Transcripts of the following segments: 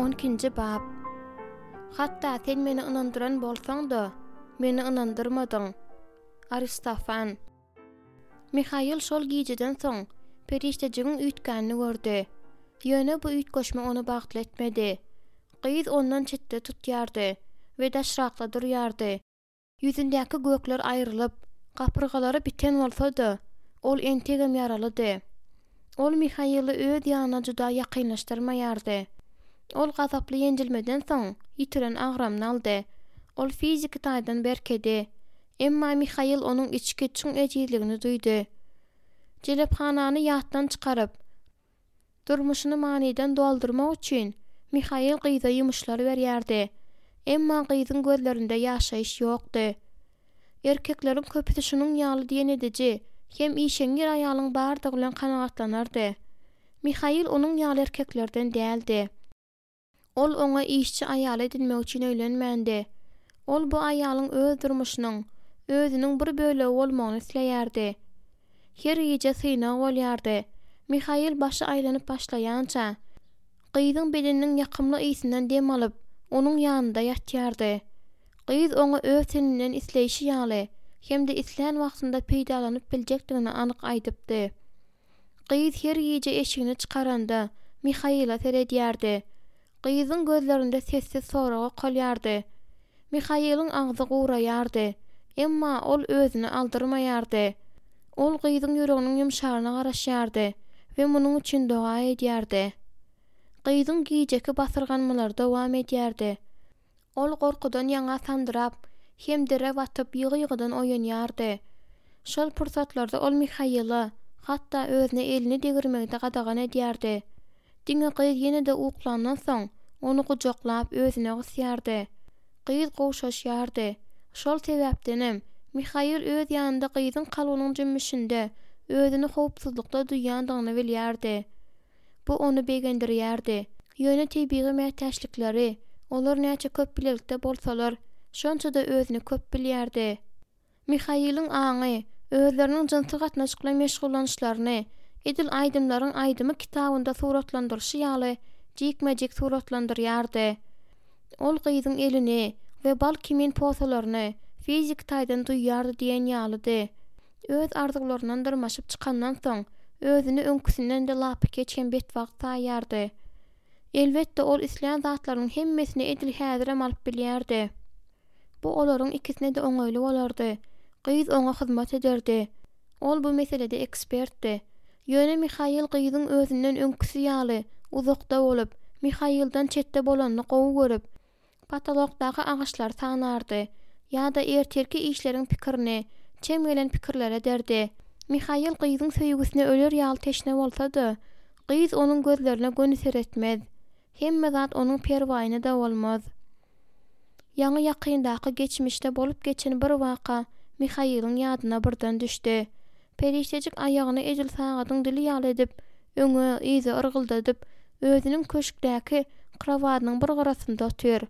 On ikinji bap. Hatda sen meni ynandyran bolsaň-da, meni ynandyrmadyň. Aristofan. Mihail şol gijeden soň perişdejigiň üýtgänini gördi. Ýöne bu üýtgeşme ony bagtly etmedi. Gyz ondan çetde tutýardy we daşrakda durýardy. Ýüzündäki gökler aýrylyp, gapyrgalary biten bolsa-da, ol entegem ýaralydy. Ol Mihaili öz ýanyna juda ýakynlaşdyrmaýardy. Ol gazaply ýenjilmeden soň ýitiren agramyny aldy. Ol fiziki taýdan berkedi. Emma Mihail onuň içki çuň ejizligini duýdy. Jelephanany ýatdan çykaryp, Durmuşyny manydan doldurmak üçin Mihail gyza ýumuşlar berýärdi. Emma gyzyň gözlerinde ýaşaýyş ýokdy. Erkekleriň köpüsi şunuň ýaly diýen ediji hem işeňňir aýalyň bardygy bilen kanagatlanardy. Mihail onuň ýaly erkeklerden däldi. Ol oňa işçi aýal edinmek üçin öýlenmändi. Ol bu aýalyň öz durmuşynyň, özüniň bir bölegi bolmagyny isleýärdi. Her gije synag bolýardy. Mihail başy aýlanyp başlaýança, gyzyň bedeniniň ýakymly ysyndan dem alyp, onuň ýanynda ýatýardy. Gyz oňa öz teninden isleýşi ýaly hem-de islän wagtynda peýdalanyp biljekdigini anyk aýdypdy. Gyz her gije eşigini çykaranda, Mihaila seredýärdi. Gyzyň gözlerinde sessiz sorag okalýardy. Mihailiň agzy guraýardy. Emma ol özüni aldyrmaýardy. Ol gyzyň ýüreginiň ýumşaryna garaşýardy we munuň üçin doga edýärdi. Gyzyň gijeki basyrganmalary dowam edýärdi. Ol gorkudan ýaňa sandyrap, hem dere batyp ýygy-ýygydan oýanýardy. Şol pursatlarda ol Mihaila, hatda özüne elini degirmegi-de gadagan edýärdi. Diňe gyz ýene-de uklandan soň, ony gujaklap, özüne gysýardy. Gyz gowşaşýardy. Şol sebäpdenem, Mihail öz ýanynda gyzyň kalbynyň jümmüşinde özüni howpsuzlykda duýýandygyny bilýärdi. Bu ony begendirýärdi. Ýöne tebigy mätäçlikleri, olar näçe köp bilelikde bolsalar, şonça-da özüni köp bilýärdi. Mihailiň aňy, özleriniň jynsy gatnaşyk bilen meşgullanyşlaryny, edil Aýdymlaryň aýdymy kitabynda suratlandyryşy ýaly jikme-jik suratlandyrýardy. Ol gyzyň elini we bal kimin posalaryny fiziki taýdan duýýardy diýen ýalydy. Öz arzuwlaryndan dyrmaşyp çykandan soň, özüni öňküsinden-de lapykeç hem betbagt saýýardy. Elbetde, ol islän zatlarynyň hemmesini edil häzirem alyp bilýärdi. Bu olaryň ikisine-de oňaýly bolardy. Gyz oňa hyzmat ederdi. Ol bu meselede ekspertdi. Ýöne Mihail gyzyň özünden öňküsi ýaly uzakda bolup, Mihailden çetde bolanyny gowy görüp, Potolokdaky agaçlary sanardy ýa-da ertirki işleriň pikirini çem gelen pikirler ederdi. Mihail gyzyň söýgüsine öler ýaly teşne bolsa-da, gyz onuň gözlerine göni seretmez. Hemme zat onuň perwaýyna-da bolmaz. Ýaňy-ýakyndaky geçmişde bolup geçen bir waka Mihailiň ýadyna birden düşdi. Perişdejik aýagyny edil sagadyň dili ýaly edip, öňe, yza yrgyldadyp, özüniň köşkdäki krowadynyň bir gyrasynda otyr.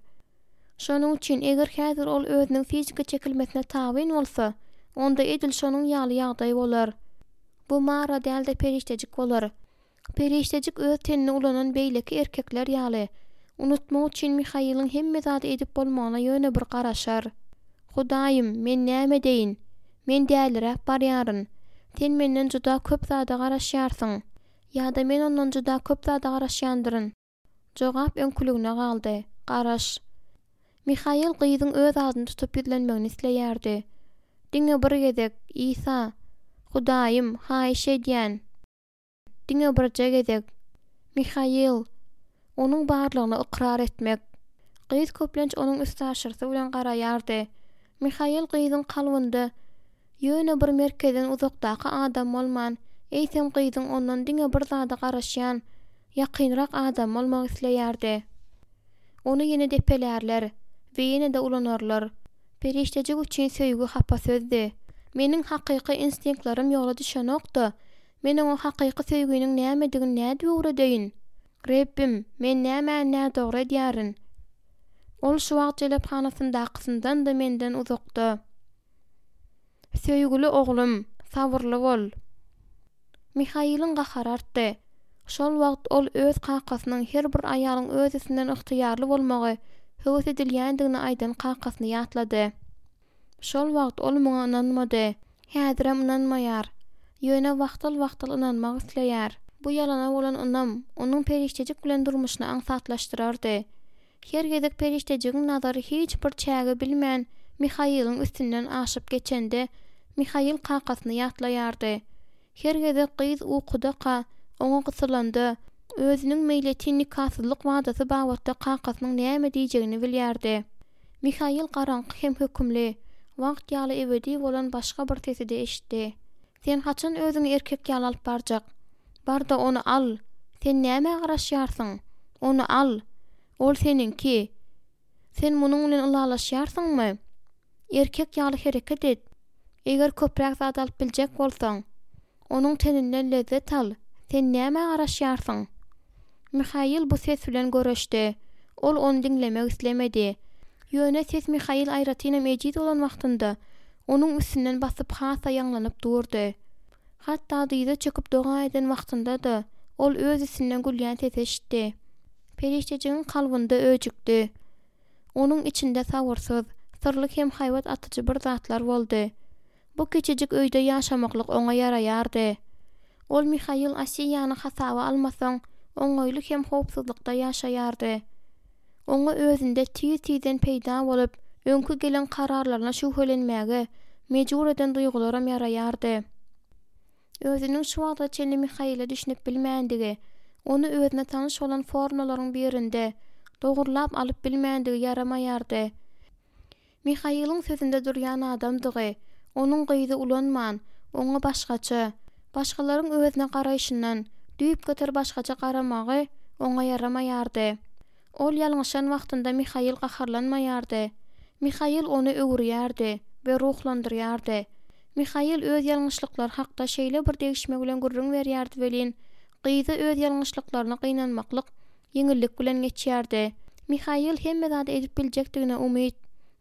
Şonuň üçin, eger häzir ol özüniň fiziki çekilmesine tabyn bolsa, onda edil şonuň ýaly ýagdaý bolar. Bu Mara däl-de perişdejik bolar. Perişdejik öz tenini ulanan beýleki erkekler ýaly, unutmak üçin Mihailiň hemme zady edip bolmagyna ýöne bir garaşar. Hudaýym, men näme edeýin? Men däliräp barýaryn. Sen menden juda köp zada garaşýarsyň. Ýa-da men ondan juda köp zada garaşýandyryn. Jogap öňküligine galdy, Garaş. Mihail gyzyň öz adyny tutup ýüzlenmegini isleýärdi. Diňe bir gezek, Isa! Hudaýym, haýyş edýän! Diňe birje gezek. Mihail! Onuň barlygyny ykrar etmek. Gyz köplenç onuň üstaşyrsy bilen garaýardy. Mihail gyzyň kalbynda ýöne bir merkezden uzakdaky adam bolman, eýsem gyzyň ondan diňe bir zada garaşýan, ýakynrak adamy bolmak isleýärdi. Ony ýene depelärler we ýene-de ulanarlar. Perişdejik üçin söýgi hapa sözdi. Meniň hakyky instinktlerim ýola düşenok-da, Men oňa hakyky söýginiň nämedigini nädip öwredeýin? Rebbim, men nämäni nädogry edýärin? Ol şu wagt jelephanasyndakysyndanda menden uzakda. Söýgüli oglum, sabyrly bol. Mihailiň gahary artdy. Şol wagt ol öz kakasynyň her bir aýalyň öz üstünden ygtyýarly bolmagy höwes edilýändigini aýdan kakasyny ýatlady. Şol wagt ol muňa ynanmady. Häzirem ynanmaýar. Ýöne wagtal-wagtal ynanmak isleýär. Bu ýalana bolan ynam onuň perişdejik bilen durmuşyny aňsatlaşdyrardy. Her gezek perişdejigiň nazary hiç bir çägi bilmän Mihailiň üstünden aşyp geçende, Mihail kakasyny ýatlaýardy. Her gezek gyz ukudaka, oňa gysylanda, özüniň meýletin nikasyzlyk wadasy babatda kakasynyň näme diýjegini bilýärdi. Mihail garaňky hem hökümli, wagt ýaly ebedi bolan başga bir sesi-de eşitdi. Sen haçan özüňi erkek ýaly alyp barjak? Bar-da ony al! Sen nämä garaşýarsyň? Ony al! Ol seniňki! Sen munuň bilen ylalaşýarsyňmy? Erkek ýaly hereket et! Eger köpräk zat alyp biljek bolsaň, onuň teninden lezzet al! Sen nämä garaşýarsyň? Mihail bu ses bilen göreşdi. Ol ony diňlemek islemedi. Ýöne ses Mihail aýratynam ejiz bolan wagtynda, onuň üstünden basyp hasa ýaňlanyp durdy. Hatda dyza çöküp doga eden wagtynda-da, ol öz üstünden gülýän sesi eşitdi. Perişdejigiň kalbynda öjükdi. Onuň içinde sabyrsyz, syrly hem haýbat atyjy bir zatlar boldy. Bu kiçijik öýde ýaşamaklyk oňa ýaraýardy. Ol Mihail Asiýany hasaba almasaň, oňaýly hem howpsuzlykda ýaşaýardy. Oňa özünde tiz-tizden peýda bolup, öňki gelen kararlaryna şübhelenmäge mejbur eden duýgularam ýaraýardy. Özüniň şu wagta çenli Mihaile düşünip bilmändigi, ony özüne tanyş bolan formulalaryň birinde dogurlap alyp bilmändigi ýaramaýardy. Mihailiň sözünde durýan adamdygy, onuň gyzy ulanman, oňa başgaça, başgalaryň özüne garaýşyndan düýpgöter başgaça garamagy oňa ýaramaýardy. Ol ýalňyşan wagtynda Mihail gaharlanmaýardy. Mihail ony öwürýärdi we ruhlandyrýardy. Mihail öz ýalňyşlyklary hakda şeýle bir degişme bilen gürrüň berýärdi welin, gyza öz ýalňyşlyklaryna gynanmaklyk ýeňillik bilen geçýärdi. Mihail hemme zady edip biljekdigine umyt,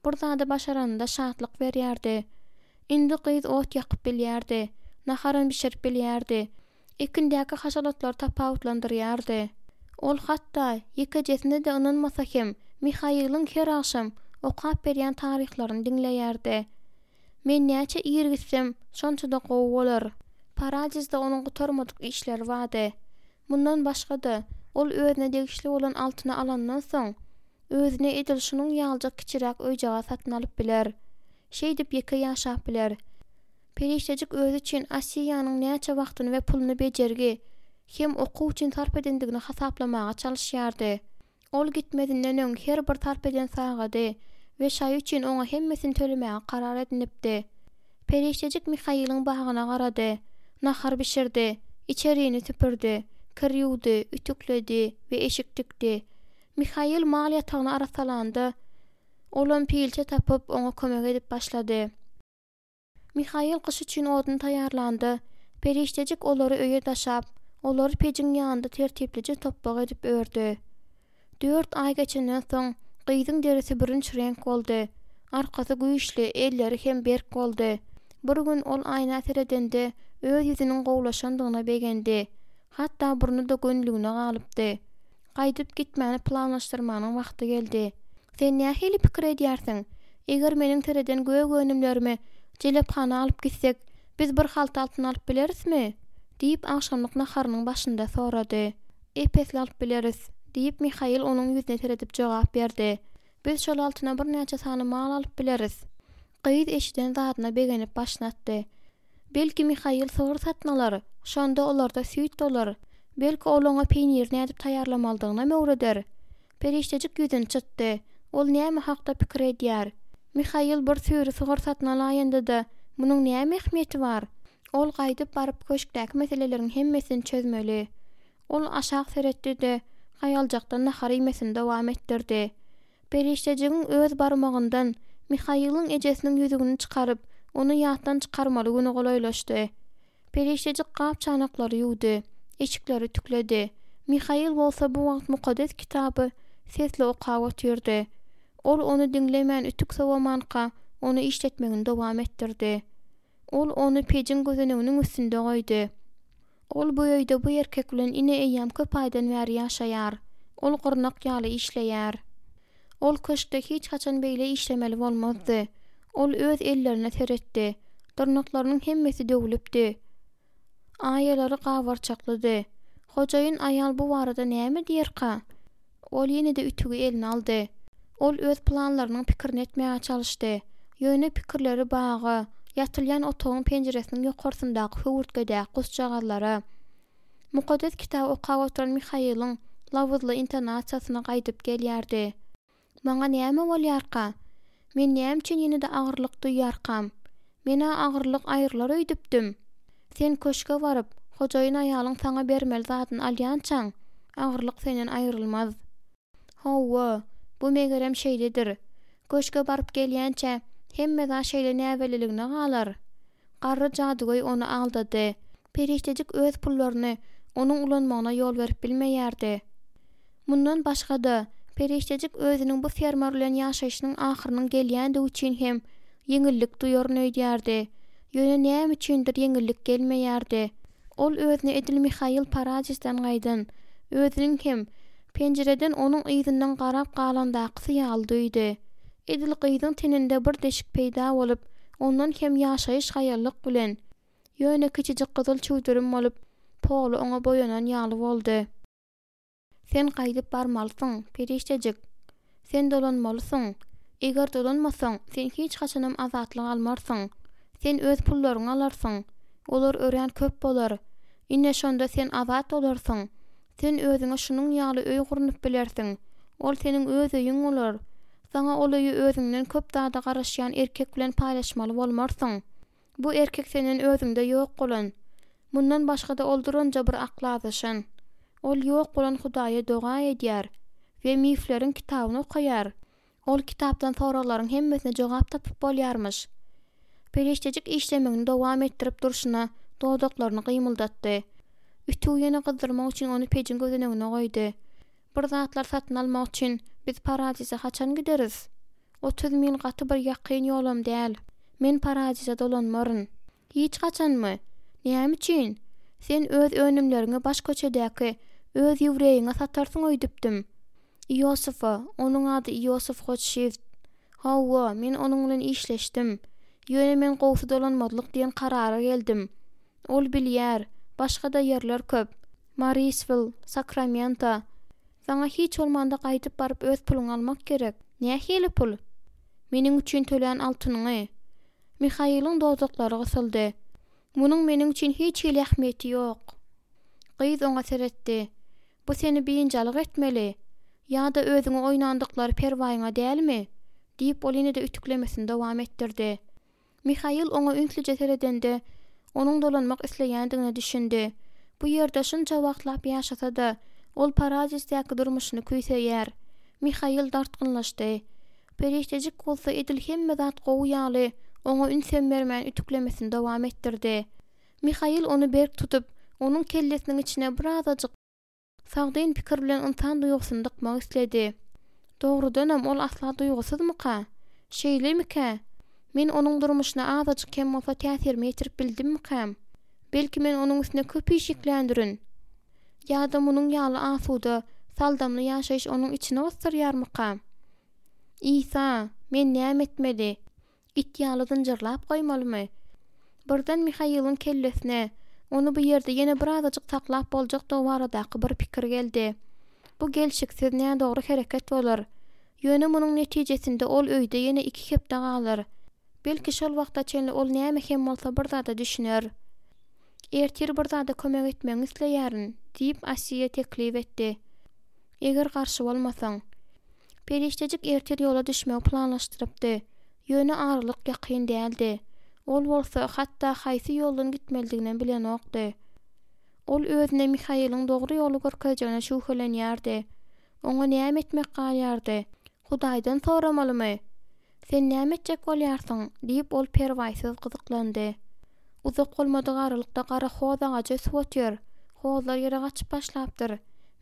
bir zady başaranynda şatlyk berýärdi. Indi gyz ot ýakyp bilýärdi, naharam bişirip bilýärdi, ekindäki haşal otlary tapawutlandyrýardy. Ol hatda, ýekejesine-de ynanmasa hem, Mihailiň her agşam okap berýän taryhlaryny diňleýärdi. Men näçe ir gitsem, şonça-da gowy bolar. Paradizde onuň gutarmadyk işleri bardy. Mundan başga-da, ol özüne degişli bolan altyny alandan soň, özüne edil şunuň ýalyjak kiçiräk öýjagaz satyn alyp biler. Şeýdip ýeke ýaşap biler. Perişdejik özi üçin Asiýanyň näçe wagtyny we puluny bejergi hem okuw üçin sarp edendigini hasaplamaga çalyşýardy. Ol gitmezinden öň her bir sarp eden sagady we şaýy üçin oňa hemmesini tölemäge karar edinipdi. Perişdejik Mihailiň bagyna garady, nahar bişirdi, içerini süpürdi, kir ýuwdy, ütükledi we eşik tikdi. Mihail mal ýatagyny arassalanda, olam pilçe tapyp, oňa kömek edip başlady. Mihail gyş üçin odun taýýarlanda, perişdejik olary öýe daşap, olary pejiň ýanynda tertiplije topbak edip ördi. Dört aý geçenden soň, gyzyň derisi bürünç reňk boldy, arkasy güýçli, elleri hem berk boldy. Bir gün ol aýna seredende, öz ýüzüniň gowulaşandygyna begendi. Hatda burny-da gönüligine galypdy. Gaýdyp gitmäni planlaşdyrmanyň wagty geldi. Sen nähili pikir edýärsiň? Eger meniň sereden gök önümlerimi jelephana alyp gitsek, biz bir halta altyn alyp bilerismi? diýip, agşamlyk naharynyň başynda sorady. Ep-esli alyp bileris, diýip, Mihail onuň ýüzüne seredip jogap berdi. Biz şol altyna birnäçe sany mal alyp bileris. Gyz eşiden zadyna begenip başyny atdy. Belki Mihail sygyr satyn alar, şonda olarda süýt bolar. Belki ol oňa peýniri nädip taýýarlamalydygynam öwreder. Perişdejik ýüzüni çytdy. Ol näme hakda pikir edýär? Mihail bir süri sygyr satyn alaýanda-da, munuň näme ähmiýeti bar? Ol gaýdyp baryp köşkdäki meseleleriň hemmesini çözmeli. Ol aşak seretdi-de, haýaljakdan nahar iýmesini dowam etdirdi. Perişdejigiň öz barmagyndan Mihailiň ejesiniň ýüzügini çykaryp, ony ýatdan çykarmaly güni golaýlaşdy. Perişdejik gap-çanaklary ýuwdy, eşikleri ütükledi. Mihail bolsa bu wagt Mukaddes Kitaby sesli okap otyrdy. Ol ony diňlemän ütük sowamanka, ony işletmegini dowam etdirdi. Ol ony pejiň gözeneginiň üstünde goýdy. Ol bu öýde bu erkek bilen ine eýýäm köp aýdan bäri ýaşaýar. Ol gyrnak ýaly işleýär. Ol köşkde hiç haçan beýle işlemeli bolmazdy. Ol öz ellerine seretdi. Dyrnaklarynyň hemmesi döwlüpdi. Aýalary gabarçaklydy. Hojaýyn aýal bu barada näme diýerka? Ol ýene-de ütügi eline aldy. Ol öz planlarynyň pikirini etmäge çalyşdy. Ýöne pikirleri baga, ýatylýan otagyň penjiresiniň ýokarsyndaky höwürtgedäki guşjagazlara, Mukaddes Kitaby okap oturan Mihailiň labyzly intonasiýasyna gaýdyp gelýärdi. Maňa näme bolýarka? Men näme üçin ýene-de agyrlyk duýýarkam? Men-ä agyrlyk aýrylar öýdüpdim. Sen köşge baryp, hojaýyn aýalyň saňa bermeli zadyny alýançaň, agyrlyk senden aýrylmaz. Hawa, bu megerem şeýledir. Köşge baryp gelýänçä, hemme zat şeýle näbelliligine galar. Garry jadygöý ony aldady. Perişdejik öz pullaryny onuň ulanmagyna ýol berip bilmeýärdi. Mundan başga-da, perişdejik özüniň bu fermer bilen ýaşaýşynyň ahyrynyň gelýändigi üçin hem ýeňillik duýaryn öýdýärdi. Ýöne näme üçindir ýeňillik gelmeýärdi. Ol özüni edil Mihail Paradisden gaýdan, özüniň hem penjireden onuň yzyndan garap galandakysy ýaly duýdy. Edil gyzyň teninde bir deşik peýda bolup, ondan hem ýaşaýyş haýallyk bilen, ýöne kiçijik gyzyl çüwdürim bolup, poly oňa boýanan ýaly boldy. Sen gaýdyp barmalysyň, perişdejik. Sen dolanmalysyň. Eger dolanmasaň, sen hiç haçanam azatlyk almarsyň. Sen öz pullaryňy alarsyň. Olar örän köp bolar. Ine, şonda sen azat bolarsyň. Sen özüňe şunuň ýaly öý gurnup bilersiň. Ol seniň öz öýüň bolar. Saňa ol öýi özüňden köp zada garaşýan erkek bilen paýlaşmaly bolmarsyň. Bu erkek senden özüňde ýok bolan. Mundan başga-da ol duranja bir akly azaşan. Ol ýok bolan Hudaýa doga edýär we mifleriň kitabyny okaýar. Ol kitapdan soraglaryň hemmesine jogap tapyp bolýarmyş. Perişdejik işlemegini dowam etdirip durşuna dodaklaryny gymyldatdy. Ütügi ýene gyzdyrmak üçin ony pejiň gözenegine goýdy. Bir zatlar satyn almak üçin biz Paradise haçan gideris? 30 mil gaty bir ýakyn ýolam däl. Men Paradise dolanmaryn. Hiç haçanmy? Näme üçin? Sen öz önümleriňi baş köçedäki öz ýewreýiňe satarsyň öýdüpdim. Iosifa, onuň ady Iosif Hotşift. Hawa, men onuň bilen işleşdim. Ýöne men gowsy dolanmazlyk diýen karara geldim. Ol bilýär, başga-da ýerler köp. Mariswil, Sakramento. Saňa hiç bolmanda gaýdyp baryp öz puluňy almak gerek. Nähili pul? Meniň üçin tölän altynyňy. Mihailiň dodaklary gysyldy. Munuň meniň üçin hiç hili ähmiýeti ýok. Gyz oňa seretdi. Bu seni biynjalyk etmeli. Ýa-da özüňe oýnandyklary perwaýyňa dälmi? diýip, ol ýene-de ütüklemesini dowam etdirdi. Mihail oňa ünslüje seredende, onuň dolanmak isleýändigine düşündi. Bu ýerde şunça wagtlap ýaşasa-da, ol Paradisdäki durmuşyny küýseýär. Mihail dartgynlaşdy. Perişdejik bolsa edil hemme zat gowy ýaly, oňa ünsem bermän ütüklemesini dowam etdirdi. Mihail ony berk tutup, onuň kellesiniň içine birazajyk sagdyn pikir bilen ynsan duýgusyny dykmak isledi. Dogrudanam ol asla duýgusyzmyka? Şeýlemikä? Men onuň durmuşyna azajyk hem bolsa täsirimi ýetirip bildimmikäm? Belki men onuň üstüne köp iş ýükländirin? Ýa-da munuň ýaly asuda, saldamly ýaşaýyş onuň içini gysdyrýarmyka? Isa, men näme etmeli? It ýaly zynjyrlap goýmalymy? Birden Mihailiň kellesine, ony bu ýerde ýene birazajyk saklap boljakdygy baradaky bir pikir geldi. Bu gelşiksiz, nädogry hereket bolar. Ýöne munuň netijesinde ol öýde ýene iki hepde galar. Belki şol wagta çenli ol näme hem bolsa bir zada düşüner. Ertir bir zada kömek etmegiňi isleýärin, diýip, Asiýa teklip etdi. Eger garşy bolmasaň. Perişdejik ertir ýola düşmegi planlaşdyrypdy. Ýöne aralyk ýakyn däldi. Ol bolsa, hatda haýsy ýoldan gitmelidiginem bilenokdy. Ol özüne Mihailiň dogry ýoly görkezjegine şübhelenýärdi. Oňa näme etmek galýardy? Hudaýdan soramalymy? Sen näme etjek bolýarsyň? diýip, ol perwaýsyz gyzyklandy. Uzak bolmadyk aralykda gara hoz agajy ösüp otyr. Hozlar ýere gaçyp başlapdyr.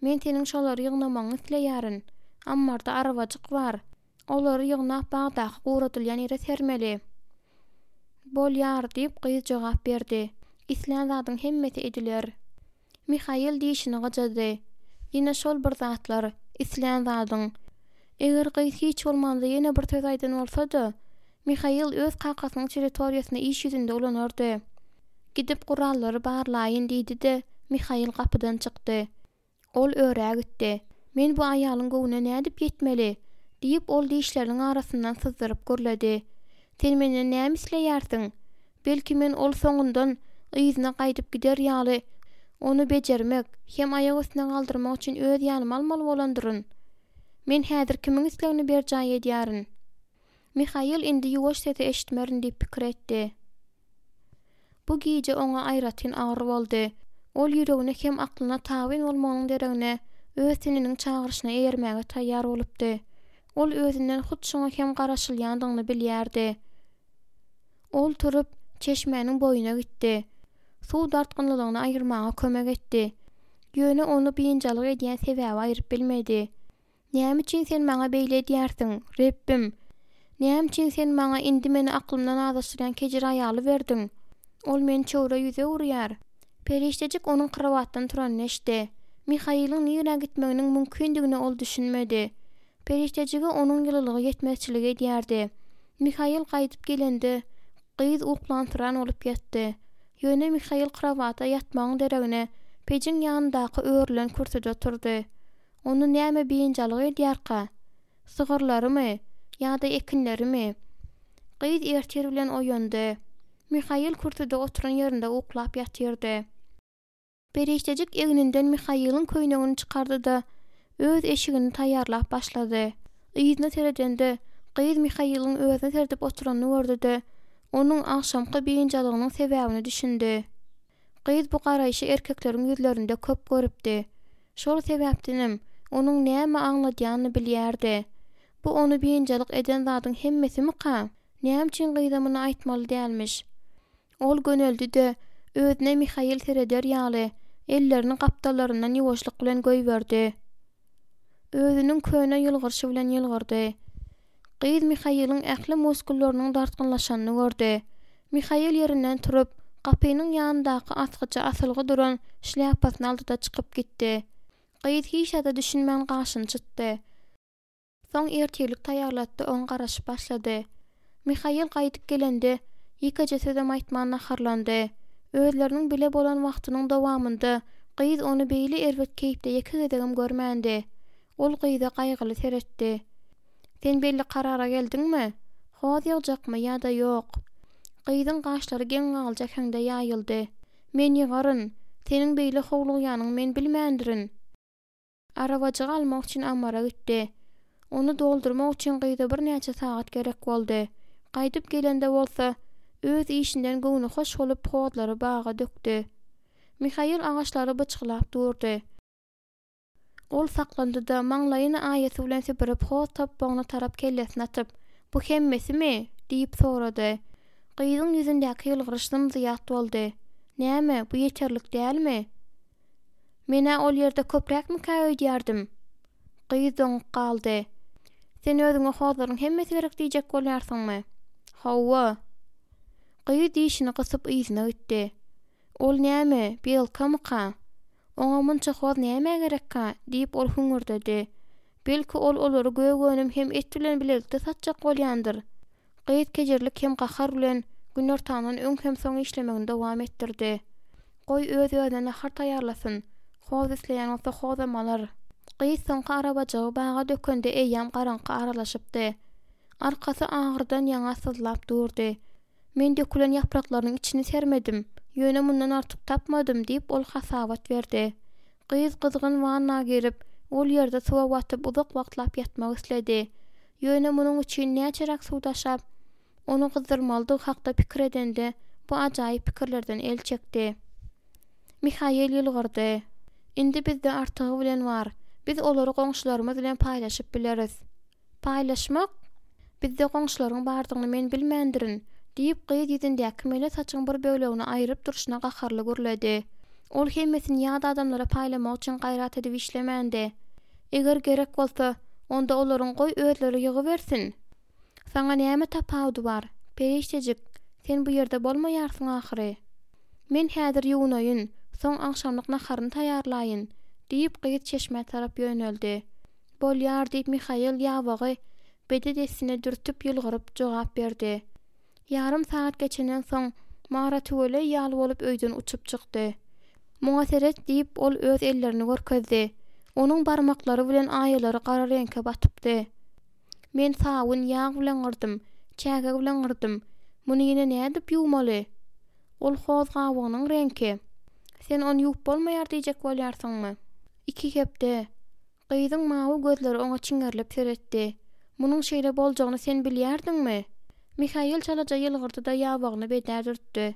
Men seniň şolary ýygnamagyňy isleýärin. Ammarda arabajyk bar. Olary ýygnap bagdaky guradylýan ýere sermeli. Bolýar, diýip, gyz jogap berdi. Islän zadyň hemmesi ediler. Mihail dişini gyjady. Ýene şol bir zatlar, islän zadyň. Eger gyz hiç bolmanda ýene bir söz aýdan bolsa-da, Mihail öz kakasynyň territoriýasyny iş ýüzünde ulanardy. Gidip gurallary barlaýyn diýdi-de, Mihail gapydan çykdy. Ol örä gitdi. Men bu aýalyň göwnüne nädip ýetmeli? diýip, ol dişleriniň arasyndan syzdyryp gürledi. Sen menden näme isleýärsiň? Belki men ol soňundan yzyna gaýdyp gider ýaly ony bejermek hem aýak üstüne galdyrmak üçin öz ýanyma almaly bolandyryn? Men häzir kimiň islegini berjaý edýärin? Mihail indi ýuwaş sesi eşitmerin diýip pikir etdi. Bu gije oňa aýratyn agyr boldy. Ol ýüregine hem aklyna tabyn bolmagynyň deregine, öz teniniň çagyryşyna eýermäge taýýar bolupdy. Ol özünden hut şoňa hem garaşylýandygyny bilýärdi. Ol turup, çeşmäniň boýuna gitdi. Suw dartgynlylygyny aýyrmaga kömek etdi. Ýöne ony biynjalyk edýän sebäbi aýryp bilmedi. Näme üçin Sen maňa beýle edýärsiň, Rebbim? Näme üçin Sen maňa indi meni aklymdan azaşdyrýan kejir aýaly berdiň? Ol meni çöwre ýüze urýar. Perişdejik onuň krowatdan turanyny eşitdi. Mihailiň nirä gitmeginiň mümkindigine ol düşünmedi. Perişdejige onuň ýylylygy ýetmezçilik edýärdi. Mihail gaýdyp gelende, gyz uklansyran bolup ýatdy. Ýöne Mihail krowata ýatmagyň deregine, pejiň ýanyndaky örülen kürsüde oturdy. Ony näme biynjalyk edýärka? Sygyrlarymy? Ýa-da ekinlerimi? Gyz ertir bilen oýandy. Mihail kürsüde oturan ýerinde uklap ýatyrdy. Perişdejik egninden Mihailiň köýnegini çykardy-da, öz eşigini taýýarlap başlady. Yzyna seredende, gyz Mihailiň özüne seredip oturanyny gördi-de, onuň agşamky biynjalygynyň sebäbine düşündi. Gyz bu garaýşy erkekleriň ýüzlerinde köp görüpdi. Şol sebäpdenem, onuň näme aňladýanyny bilýärdi. Bu ony biynjalyk eden zadyň hemmesimika? Näme üçin gyza muny aýtmaly dälmiş? Ol göneldi-de, özüne Mihail sereder ýaly, ellerini gapdallaryndan ýuwaşlyk bilen goýberdi. Özüniň köne ýylgyryşy bilen ýylgyrdy. Gyz Mihailiň ähli muskullarynyň dartgynlaşanyny gördi. Mihail ýerinden turup, gapynyň ýanyndaky asgyja asylgy duran şlýapasyny aldy-da çykyp gitdi. Gyz hiç zada düşünmän gaşyny çytdy. Soň ertirlik taýýarlatdy, oňa garaşyp başlady. Mihail gaýdyp gelende, ýekeje sözem aýtman naharlandy. Özleriniň bile bolan wagtynyň dowamynda gyz ony beýle erbet keýpde ýeke gezegem görmändi. Ol gyza gaýgyly seretdi. Sen belli karara geldiňmi? Hoz ýygjakmy ýa-da ýok? Gyzyň gaşlary geň galyjy äheňde ýaýyldy. Men ýygaryn. Seniň beýle howlugýanyňy men bilmändirin. Arabajygy almak üçin ammara gitdi. Ony doldurmak üçin gyza birnäçe sagat gerek boldy. Gaýdyp gelende bolsa, öz işinden göwnühoş bolup hozlary baga dökdi. Mihail agaçlary byçgylap durdy. Ol saklandy-da, maňlaýyny aýasy bilen süpürip hoz topbagyna tarap kellesini atyp, Bu hemmesimi? diýip sorady. Gyzyň ýüzündäki ýylgyryş zym-zyýat boldy. Näme, bu ýeterlik dälmi? Men-ä ol ýerde köpräkmikä öýdýärdim. Gyz doňup galdy. Sen özüňe hozlaryň hemmesi gerek diýjek bolýarsyňmy? Hawa. Gyz dişini gysyp yzyna gitdi. Ol näme, belkamyka? Oňa munça hoz nämä gerekka? diýip, ol hüňürdedi. Belki, ol olary gök önüm hem et bilen bilelikde satjak bolýandyr? Gyz kejirlik hem gahar bilen günortandan öň hem soň işlemegini dowam etdirdi. Goý, öz-özüne nahar taýýarlasyn. Hoz isleýän bolsa hozam alar. Gyz soňky arabajygy baga dökende eýýäm garaňky aralaşypdy. Arkasy agyrydan ýaňa syzlap durdy. Men dökülen ýapraklarynyň içini sermedim, ýöne mundan artyk tapmadym, diýip, ol hasabat berdi. Gyz gyzgyn wanna girip, ol ýerde suwa batyp uzak wagtlap ýatmak isledi. Ýöne munuň üçin näçeräk suw daşap, ony gyzdyrmalydygy hakda pikir edende, bu ajaýyp pikirlerden el çekdi. Mihail ýylgyrdy. Indi bizde artygy bilen bar. Biz olary goňşularymyz bilen paýlaşyp bileris. Paýlaşmak? Bizde goňşularyň bardygyny men bilmändirin, diýip, gyz ýüzündäki mele saçyň bir bölegini aýryp durşuna gaharly gürledi. Ol hemmesini ýat adamlara paýlamak üçin gaýrat edip işlemändi. Eger gerek bolsa, onda olaryň goý özleri ýygybersin! Saňa näme tapawudy bar, perişdejik, sen bu ýerde bolmaýarsyň ahyry. Men häzir ýuwunaýyn. Soň agşamlyk naharyny taýýarlaýyn, diýip, gyz çeşmä tarap ýöneldi. Bolýar, diýip, Mihail ýabagy bede dessine dürtüp ýylgyryp jogap berdi. Ýarym sagat geçenden soň, Mara tüweleý ýaly bolup öýden uçup çykdy. Muňa seret, diýip, ol öz ellerini görkezdi. Onuň barmaklary bilen aýalary gara reňke batypdy. Men sabyn, ýag bilen gyrdym, çäge bilen gyrdym. Muny ýene nädip ýuwmaly? Ol hoz gabygynyň reňki. Sen ony ýuwup bolmaýar diýjek bolýarsyňmy? Iki hepde. Gyzyň mawy gözleri oňa çiňerilip seretdi. Munuň şeýle boljagyny sen bilýärdiňmi? Mihail çalaja ýylgyrdy-da ýabagyny bedä dürtdi.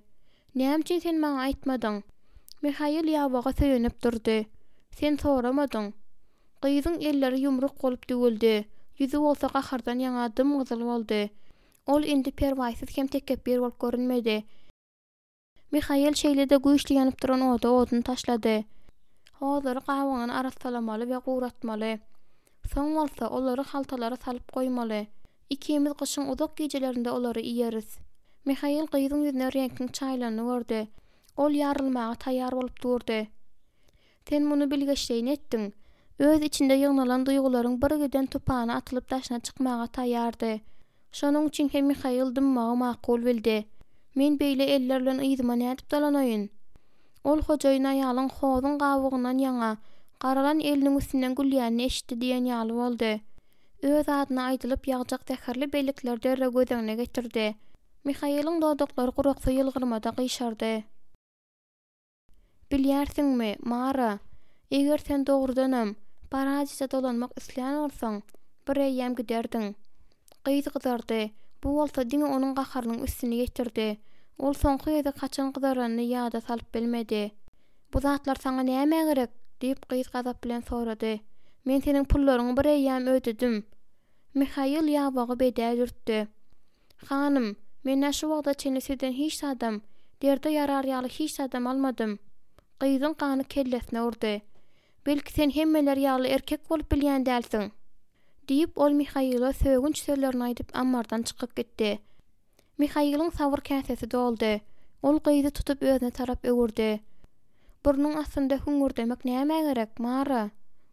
Näme üçin sen maňa aýtmadyň? Mihail ýabaga söýenip durdy. Sen soramadyň. Gyzyň elleri ýumruk bolup düwüldi, ýüzi bolsa gahardan ýaňa dym-gyzyl boldy. Ol indi perwaýsyz hem tekepbir bolup görünmedi. Mihail şeýle-de güýçli ýanyp duran oda odun taşlady. Hozlary gabygyndan arassalamaly we guratmaly. Soň bolsa, olary haltalara salyp goýmaly. Ikimiz gyşyň uzak gijelerinde olary iýeris. Mihail gyzyň ýüzüne reňkiň çaýylanyny gördi. Ol ýarylmaga taýýar bolup durdy. Sen muny bilgeşleýin etdiň. Öz içinde ýygnalan duýgularyň birgiden tupany atylyp daşyna çykmaga taýýardy. Şonuň üçin hem Mihail dymmagy makul bildi. Men beýle eller bilen yzyma nädip dolanaýyn? Ol hojaýyn aýalyň hozuň gabygyndan ýaňa, garalan eliniň üstünden gülýänini eşitdi diýen ýaly boldy. Öz adyna aýdylyp ýagjak zäherli bellikleri derrew göz öňüne getirdi. Mihailiň dodaklary guraksy ýylgyrmada gyşardy. Bilýärsiňmi, Mara, eger sen dogrudanam, Paradise dolanmak islän bolsaň, bireýýäm giderdiň. Gyz gyzardy. Bu bolsa diňe onuň gaharynyň üstüni ýetirdi. Ol soňky gezek haçan gyzaranyny ýada salyp bilmedi. Bu zatlar saňa nämä gerek? diýip, gyz gazap bilen sorady. Men seniň pullaryňy bireýýäm ödedim. Mihail ýabagy bedä dürtdi. Hanym, men-ä şu wagta çenli sizden hiç zadam, derde ýarar ýaly hiç zadam almadym. Gyzyň gany kellesine urdy. Belki sen hemmeler ýaly erkek bolup bilýän dälsiň? Diýip, ol Mihaila sögünç sözlerini aýdyp ammardan çykyp gitdi. Mihailiň sabyr käsesi doldy. Ol gyzy tutup özüne tarap öwürdi. Burnuň astynda hüňňürdemek nämä gerek, Mara?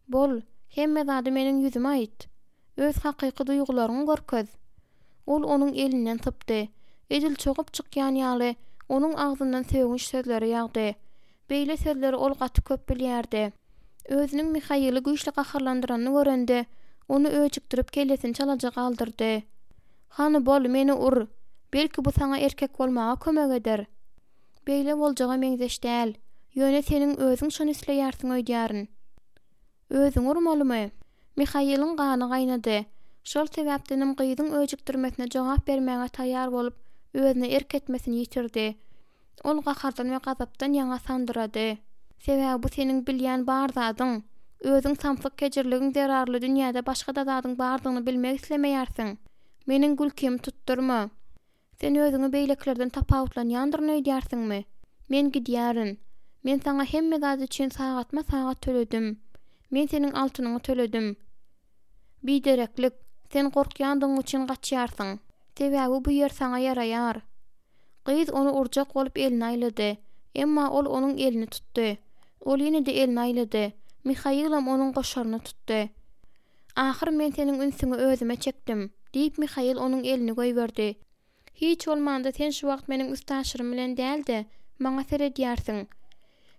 Bol, hemme zady meniň ýüzüme aýt. Öz hakyky duýgularyňy görkez. Ol onuň elinden sypdy. Edil çogup çykýan ýaly, onuň agzyndan sögünç sözleri ýagdy. Beýle sözleri ol gaty köp bilýärdi. Özüniň Mihaili güýçli gaharlandyranyny görende, ony öjükdirip kellesini çalaja galdyrdy. Hany bol, meni ur. Belki bu saňa erkek bolmaga kömek eder. Beýle boljaga meňzeş däl. Ýöne seniň özüň şony isleýärsiň öýdýärin. Özüňi urmalymy? Mihailiň gany gaýnady. Şol sebäpdenem gyzyň öjükdirmesine jogap bermäge taýýar bolup, özüne erk etmesini ýitirdi. Ol gahardan we gazapdan ýaňa sandyrady. Sebäbi bu seniň bilýän bar zadyň. Özüň samsyk kejirligiň zerarly dünýäde başga-da zadyň bardygyny bilmek islemeýärsiň. Meniň gülkimi tutdurma. Sen özüňi beýlekilerden tapawutlanýandyryn öýdýärsiňmi? Men gidýärin. Men saňa hemme zat üçin sagatma-sagat töledim. Men seniň altynyňy töledim. Bidereklik, sen gorkýandygyň üçin gaçýarsyň. Sebäbi bu ýer saňa ýaraýar. Gyz ony urjak bolup elini aýlady. Emma ol onuň elini tutdy. Ol ýene-de elini aýlady. Mihailam onuň goşaryny tutdy. Ahyr men seniň ünsüňi özüme çekdim, diýip, Mihail onuň elini goýberdi. Hiç bolmanda sen şu wagt meniň üstaşyrym bilen däl-de, maňa seredýärsiň.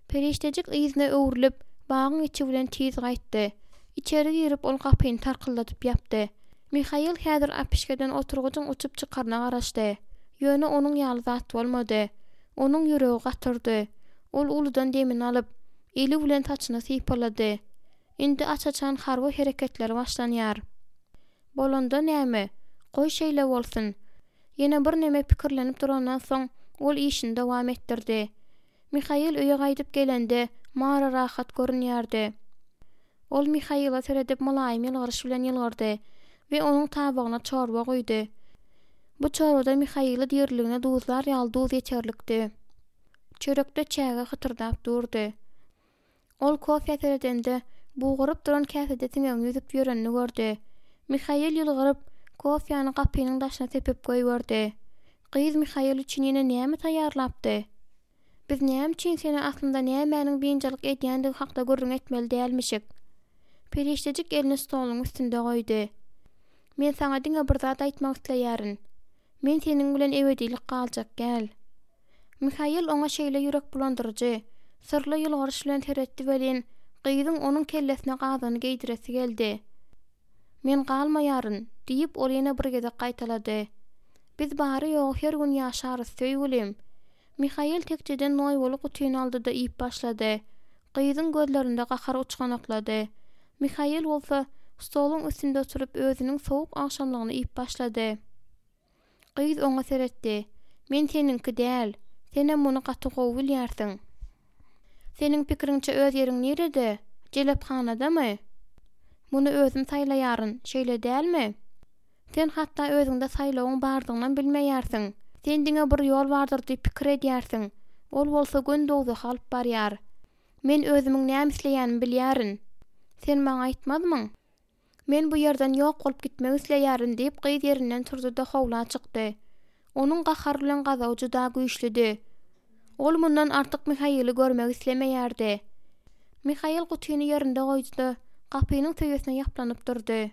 Perişdejik yzyna öwrülip, bagyň içi bilen tiz gaýtdy. Içeri girip, ol gapyny tarkyldadyp ýapdy. Mihail häzir äpişgeden oturgyjyň uçup çykaryna garaşdy. Ýöne onuň ýaly zat bolmady. Onuň ýüregi gaty urdy. Ol uludan demini alyp, eli bilen saçyny sypalady. Indi aç-açan harby hereketler başlanýar. Bolanda näme? Goý şeýle bolsun. Ýene birneme pikirlenip durandan soň, ol işini dowam etdirdi. Mihail öýe gaýdyp gelende, Mara rahat görünýärdi. Ol Mihaile seredip mylaýym ýylgyryş bilen ýylgyrdy we onuň tabagyna çorba guýdy. Bu çorbada Mihaili diriligine duzlar ýaly duz ýeterlikdi. Çörekde çäge hytyrdap durdy. Ol kofä seredende, bugaryp duran käsede siňegiň ýüzüp ýörenini gördi. Mihail ýylgyryp, kofäni gapynyň daşyna sepip goýberdi. Gyz Mihail üçin ýene näme taýýarlapdy? Biz näme üçin seni aslynda nämäniň biynjalyk edýändigi hakda gürrüň etmeli dälmişik? Perişdejik elini stoluň üstünde goýdy. Men saňa diňe bir zat aýtmak isleýärin. Men seniň bilen ebedilik galjak däl. Mihail oňa şeýle ýürek bulandyryjy, syrly ýylgyryş bilen seretdi welin, gyzyň onuň kellesine gazyny geýdiresi geldi. Men galmaýaryn, diýip, ol ýene bir gezek gaýtalady. Biz bary-ýogy her gün ýaşarys, söýgülim. Mihail tekjeden noýbaly gutyny aldy-da iýip başlady. Gyzyň gözlerinde gahar uçganaklady. Mihail bolsa, stoluň üstünde oturyp özüniň sowuk agşamlygyny iýip başlady. Gyz oňa seretdi. Men seniňki däl. Senem muny gaty gowy bilýärsiň. Seniň pikiriňçe öz ýeriň nirede? Jelephanadamy? Muny özüm saýlaýaryn, şeýle dälmi? Sen hatda özüňde saýlawyň bardygynam bilmeýärsiň. Sen diňe bir ýol bardyr diýip pikir edýärsiň. Ol bolsa göni dowzaha alyp barýar. Men özümiň näme isleýänimi bilýärin. Sen maňa aýtmazmyň? Men bu ýerden ýok bolup gitmek isleýärin, diýip, gyz ýerinden turdy-da howla çykdy. Onuň gahar bilen gazaby juda güýçlüdi. Ol mundan artyk Mihaili görmek islemeýärdi. Mihail gutyny ýerinde goýdy-da, gapynyň söýesine ýaplanyp durdy.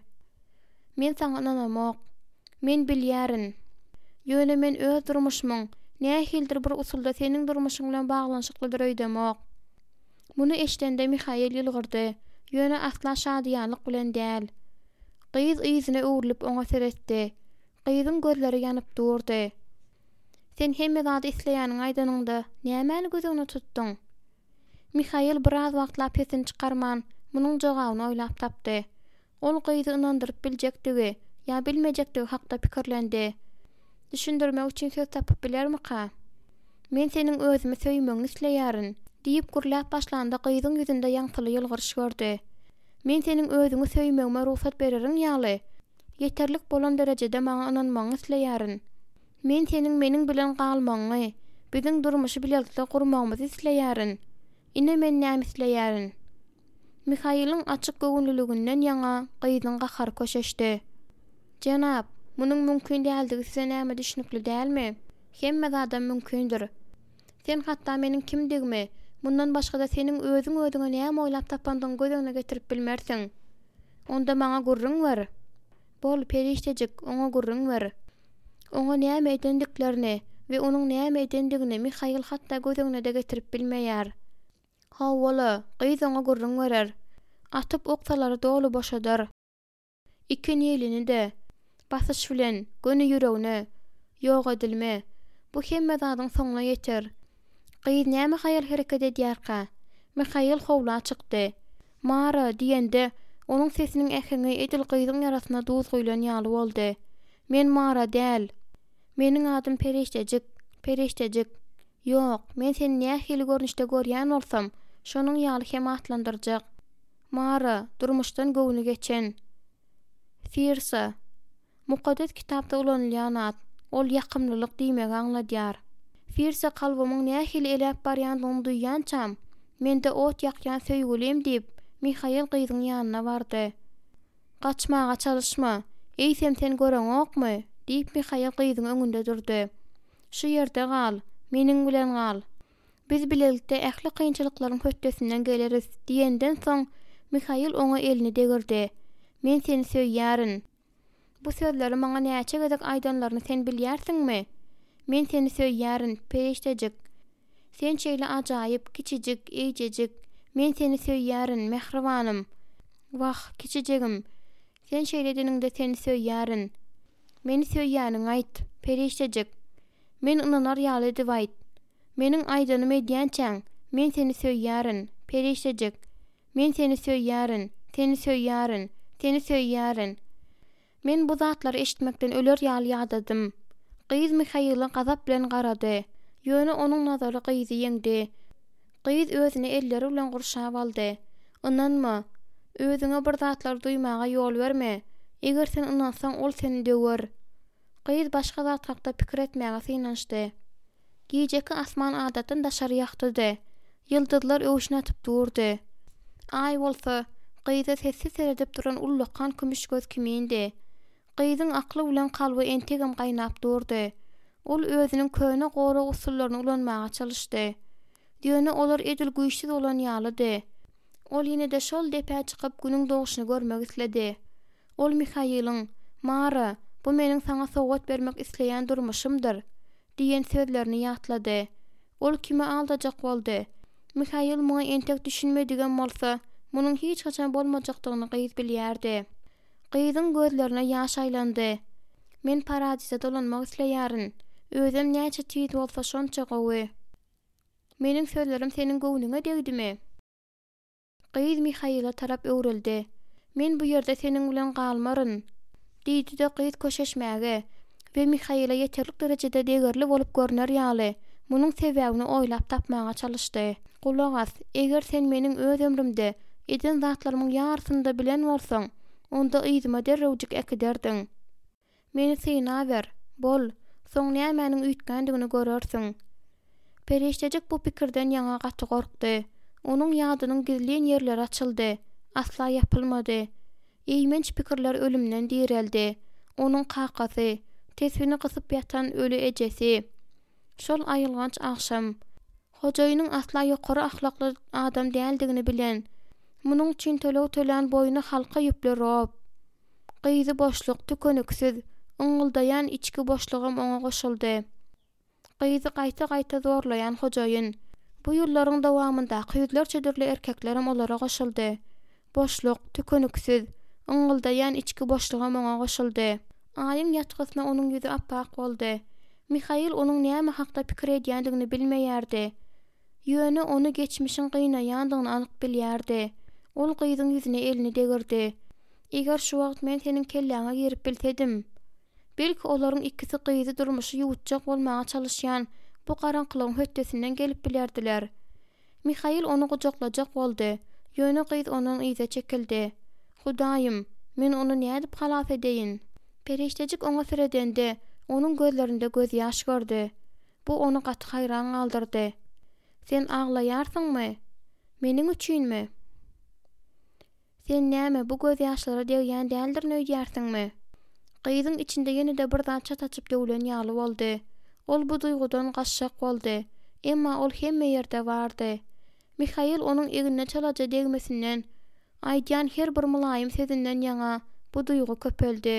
Men saňa ynanamok. Men bilýärin. Ýöne men öz durmuşymyň, nähilidir bir usulda seniň durmuşyň bilen baglanyşyklydyr öýdemok. Muny eşidende Mihail ýylgyrdy, ýöne asla şadyýanlyk bilen däl. Gyz yzyna öwrülip oňa seretdi. Gyzyň gözleri ýanyp durdy. Sen hemme zady isleýäniňi aýdanyňda, nämäni göz öňüne tutduň? Mihail biraz wagtlap sesini çykarman, munuň jogabyny oýlap tapdy. Ol gyzy ynandyryp biljekdigi ýa bilmejekdigi hakda pikirlendi. Düşündirmek üçin söz tapyp bilermika? Men seniň özümi söýmegiňi isleýärin, diýip gürläp başlanda gyzyň ýüzünde ýaňsyly ýylgyryş gördi. Men seniň özüňi söýmegime rugsat bereriň ýaly, ýeterlik bolan derejede maňa ynanmagyňy isleýärin. Men seniň meniň bilen galmagyňy, biziň durmuşy bilelikde gurmagymyzy isleýärin. Ine men näme isleýärin. Mihailiň açyk göwünliliginden ýaňa gyzyň gahary köşeşdi. Jenap, munuň mümkin däldigi size näme düşnükli dälmi? Hemme zadam mümkindir. Sen hatda meniň kimdigimi, mundan başga-da seniň özüň özüňe näme oýlap tapandygyňy göz öňüne getirip bilmersiň. Onda maňa gürrüň ber. Bol, perişdejik, oňa gürrüň ber. Oňa näme edendiklerini we onuň näme edendigini Mihail hatda göz öňüne-de getirip bilmeýär. Hawa-la, gyz oňa gürrüň berer. Atyp oksalary doly boşadar. Iki nilini-de, basyş bilen, göni ýüregine. Ýok edilme. Bu hemme zadyň soňuna ýeter. Gyz näme haýal hereket edýärkä? Mihail howla çykdy. Mara! diýende, onuň sesiniň äheňi edil gyzyň ýarasyna duz guýlan ýaly boldy. Men Mara däl. Meniň adym Perişdejik. Perişdejik. Ýok, men seni nähili görnüşde görýän bolsam, şonuň ýaly hem atlandyrjak. Mara, durmuşdan göwni geçen. Firsa. Mukaddes Kitapda ulanylýan at. Ol ýakymlylyk diýmegi aňladýar. Firsa kalbymyň nähili eläp barýandygyny duýýançam, mende ot ýakýan söýgülim diýip, Mihail gyzyň ýanyna bardy. Gaçmaga çalyşma, eýsem sen göreňokmy? diýip Mihail gyzyň öňünde durdy. Şu ýerde gal, meniň bilen gal. Biz bilelikde ähli kynçylyklaryň hötdesinden geleris diýenden soň, Mihail oňa elini degirdi. Men seni söýýärin. Bu sözleri maňa näçe gezek aýdanlaryny sen bilýärsiňmi? Men seni söýýärin, perişdejik. Sen şeýle ajaýyp, kiçijik, eýjejik. Men seni söýýärin, mähribanym. Wah, kiçijegim. Sen şeýle edeniňde seni söýýärin. Meni söýýäniňi aýt, perişdejik. Men ynanar ýaly edip aýt. Meniň aýdanymy edýänçäň, men seni söýýärin, perişdejik. Men seni söýýärin, seni söýýärin, seni söýýärin. Men bu zatlary eşitmekden öler ýaly ýadadym. Gyz Mihaila gazap bilen garady. Ýöne onuň nazary gyzy ýeňdi. Gyz özüni elleri bilen gurşap aldy. Ynanma. Özüňe bir zatlar duýmaga ýol berme. Eger sen ynansaň, ol seni döwer. Gyz başga zat hakda pikir etmäge synanyşdy. Gijeki asman adatdan daşary ýagtydy. Ýyldyzlar öwşün atyp durdy. Aý bolsa, gyza sessiz seredip duran ullakan kümüş göz kimindi. Gyzyň akly bilen kalby entegem gaýnap durdy. Ol özüniň köne gorag usullaryny ulanmaga çalyşdy. Ýöne olar edil güýçsüz bolan ýalydy. Ol ýene-de şol depä çykyp günüň dogşuny görmek isledi. Ol Mihailiň, Mara, bu meniň saňa sowgat bermek isleýän durmuşymdyr! diýen sözlerini ýatlady. Ol kimi aldajak boldy? Mihail muňa entek düşünmedigem bolsa, munuň hiç haçan bolmajakdygyny gyz bilýärdi. Gyzyň gözlerine ýaş aýlandy. Men Paradize dolanmak isleýärin. Özem näçe tiz bolsa şonça gowy. Meniň sözlerim seniň göwnüňe degdimi? Gyz Mihaila tarap öwrüldi. Men bu ýerde seniň bilen galmaryn! diýdi-de gyz köşeşmäge we Mihaila ýeterlik derejede degerli bolup görner ýaly, munuň sebäbini oýlap tapmaga çalyşdy. Gulak as, eger sen meniň öz ömrümde eden zatlarymyň ýarysyny-da bilen bolsaň, onda yzyma derrewjik äkiderdiň. Meni synaber, bol, soň nämäniň üýtgändigini görersiň. Perişdejik bu pikirden ýaňa gaty gorkdy. Onuň ýadynyň gizlin ýerleri açyldy, asla ýapylmady. Eýmenç pikirler ölümden direldi. Onuň kakasy, tesbini gysyp ýatan öli ejesi. Şol aýylganç agşam. Hojaýynyň asla ýokary ahlakly adam däldigini bilen, munuň üçin töleg tölän boýny halka ýüpli Rob. Gyzy boşluk, tükeniksiz, yňňyldaýan içki boşlugam oňa goşuldy. Gyzy gaýta-gaýta zorlaýan hojaýyn. Bu ýyllaryň dowamyndaky ýüzlerçe dürli erkeklerem olara goşuldy. Boşluk, tükeniksiz, yňňyldaýan içki boşlugam oňa goşuldy. Aýyň ýatgysyna onuň ýüzi ap-ak boldy. Mihail onuň näme hakda pikir edýändigini bilmeýärdi. Ýöne ony geçmişiň gynaýandygyny anyk bilýärdi. Ol gyzyň ýüzüne elini degirdi. Eger şu wagt men seniň kelläňe girip bilsedim! Belki olaryň ikisi gyzy durmuşy ýuwutjak bolmaga çalyşýan bu garaňkylygyň hötdesinden gelip bilerdiler. Mihail ony gujaklajak boldy, ýöne gyz ondan yza çekildi. Hudaýym, men ony nädip halas edeýin? Perişdejik oňa seredende, onuň gözlerinde gözýaş gördi. Bu ony gaty haýran galdyrdy. Sen aglaýarsyňmy? Meniň üçinmi? Sen näme, bu gözýaşlara degýän däldirin öýdýärsiňmi? Gyzyň içinde ýene-de bir zat çat açyp döwlen ýaly boldy. Ol bu duýgudan gaçjak boldy. Emma ol hemme ýerde bardy. Mihail onuň egnine çalaja degmesinden, aýdýan her bir mylaýym sözünden ýaňa bu duýgy köpeldi.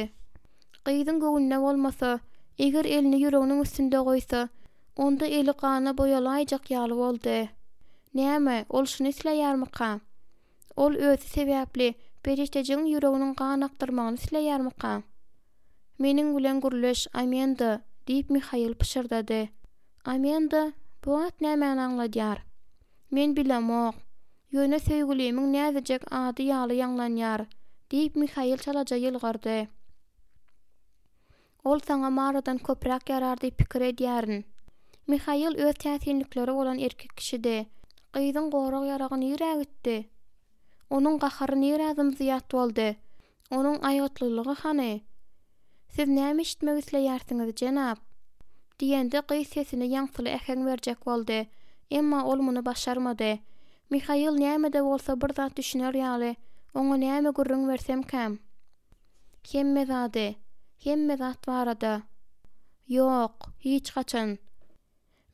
Gyzyň göwnüne bolmasa, eger elini ýüreginiň üstünde goýsa, onda eli gana boýalaýjak ýaly boldy. Näme, ol şuny isleýärmika? Ol özi sebäpli perişdejigiň ýüreginiň gan akdyrmagyny isleýärmika? Meniň bilen gürleş, Amenda, diýip Mihail pyşyrdady. Amenda, bu at nämäni aňladýar? Men bilemok. Ýöne söýgülimiň näzijek ady ýaly ýaňlanýar, diýip Mihail çalaja ýylgyrdy. Ol saňa Maradan köpräk ýarar diýip pikir edýärin. Mihail öz täsinlikleri bolan erkek kişidi. Gyzyň gorag ýaragy nirä gitdi? Onuň gahary nirä zym-zyýat boldy? Onuň aýgytlylygy hany? Siz näme eşitmek isleýärsiňiz, jenap? diýende gyz sesine ýaňsyly äheň berjek boldy. Emma ol muny başarmady. Mihail näme-de bolsa bir zat düşüner ýaly, oňa näme gürrüň bersemkäm? Hemme zady. Hemme zat barada. Ýok, hiç haçan.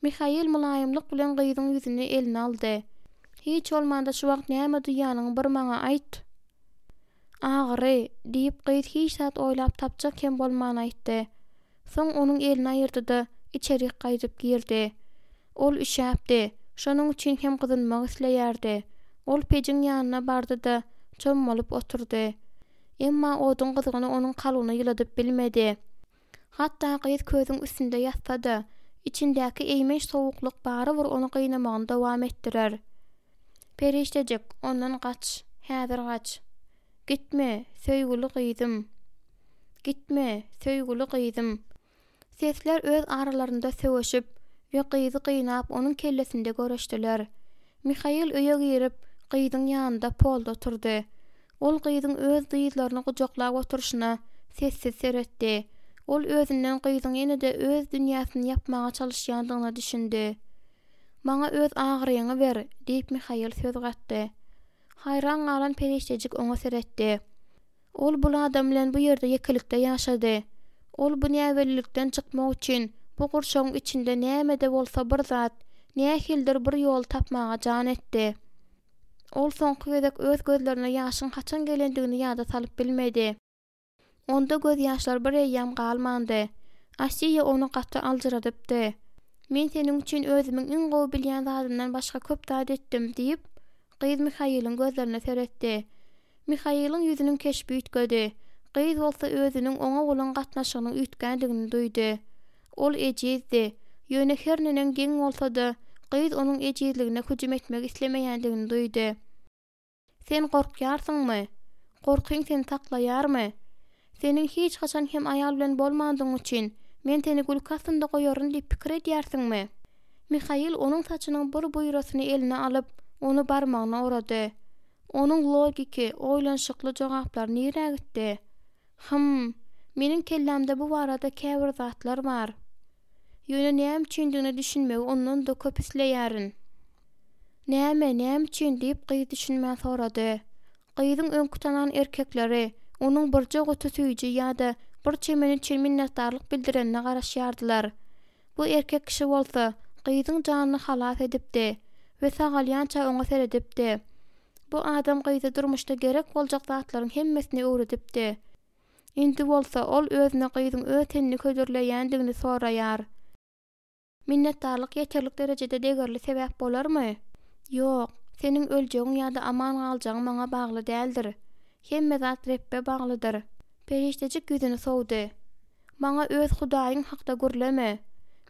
Mihail mylaýymlyk bilen gyzyň ýüzüni eline aldy. Hiç bolmanda şu wagt näme duýýanyňy bir maňa aýt. Agyry, diýip, gyz hiç zat oýlap tapjak hem bolman aýtdy. Soň onuň elini aýyrdy-da, içerik gaýdyp girdi. Ol üşäpdi, şonuň üçin hem gyzynmak isleýärdi. Ol pejiň ýanyna bardy-da, çommalyp oturdy. Emma oduň gyzgyny onuň kalbyny ýyladyp bilmedi. Hatda gyz közüň üstünde ýatsa-da, içindäki eýmenç sowuklyk barybir ony gynamagyny dowam etdirer. Perişdejik, ondan gaç, häzir gaç. Gitme, söýgüli gyzym. Gitme, söýgüli gyzym. Sesler öz aralarynda söweşip we gyzy gynap onuň kellesinde göreşdiler. Mihail öýe girip, gyzyň ýanynda polda oturdy. Ol gyzyň öz dyzlaryny gujaklap oturyşyna sessiz seretdi. Ol özünden gyzyň ýene-de öz dünýäsini ýapmaga çalyşýandygyna düşündi. Maňa öz agyryňy ber, diýip Mihail söz gatdy. Haýran galan perişdejik oňa seretdi. Ol bul adam bilen bu ýerde ýekelikde ýaşady. Ol bu näbellilikden çykmak üçin bu gurşawyň içinde näme-de bolsa bir zat, Nähilidir bir ýol tapmaga jan etdi. Ol soňky gezek öz gözlerine ýaşyň haçan gelendigini ýada salyp bilmedi. Onda gözýaşlar bir eýýäm galmandy. Asiýa ony gaty aljyradypdy. Men seniň üçin özümiň iň gowy bilýän zadymdan başga köp zat etdim, diýip, gyz Mihailiň gözlerine seretdi. Mihailiň ýüzüniň keşbi üýtgedi. Gyz bolsa özüniň oňa bolan gatnaşygynyň üýtgändigini duýdy. Ol ejizdi. Ýöne her neneň geň bolsa-da, gyz onuň ejizligine hüjüm etmek islemeýändigini duýdy. Sen gorkýarsyňmy? Gorkyň seni saklaýarmy? Seniň hiç haçan hem aýal bilen bolmandygyň üçin, men seni gülki astynda goýaryn diýip pikir edýärsiňmi? Mihail onuň saçynyň bir buýrasyny eline alyp, ony barmagyna orady. Onuň logiki, oýlanyşykly jogaplary nirä gitdi? Hym, meniň kellämde bu barada käbir zatlar bar. Ýöne näme üçindigine düşünmegi ondan-da köp isleýärin. Näme, näme üçin? diýip, gyz düşünmän sorady. Gyzyň öňki tanan erkekleri onuň birje guty süýji ýa-da bir çemen üçin minnetdarlyk bildirenine garaşýardylar. Bu erkek kişi bolsa, gyzyň janyny halas edipdi we sagalýança oňa seredipdi. Bu adam gyza durmuşda gerek boljak zatlaryň hemmesini öwredipdi. Indi bolsa ol özüne gyzyň öz tenini hödürleýändigini soraýar. Minnetdarlyk ýeterlik derejede degerli sebäp bolarmy? Ýok, seniň öljegiň ýa-da aman galjagyň maňa bagly däldir. Hemme zat Rebbe baglydyr. Perişdejik ýüzüni sowdy. Maňa öz Hudaýyň hakda gürleme.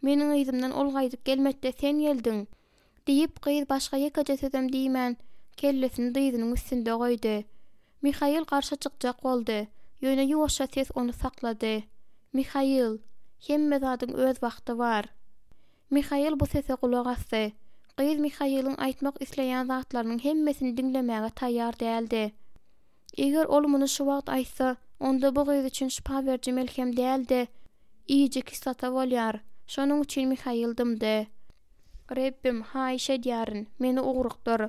Meniň yzymdan ol gaýdyp gelmedi-de sen geldiň. Diýip, gyz başga ýekeje sözem diýmän, kellesini dyzynyň üstünde goýdy. Mihail garşy çykjak boldy, ýöne ýuwaşja ses ony saklady. Mihail, hemme zadyň öz wagty bar. Mihail bu sese gulak asdy. Gyz Mihailiň aýtmak isleýän zatlarynyň hemmesini diňlemäge taýýar däldi. Eger ol muny şu wagt aýtsa, onda bu gyz üçin şypa beriji melhem däl-de, iýiji kislota bolýar. Şonuň üçin Mihail dymdy. Rebbim, haýyş edýärin, meni ugrukdyr.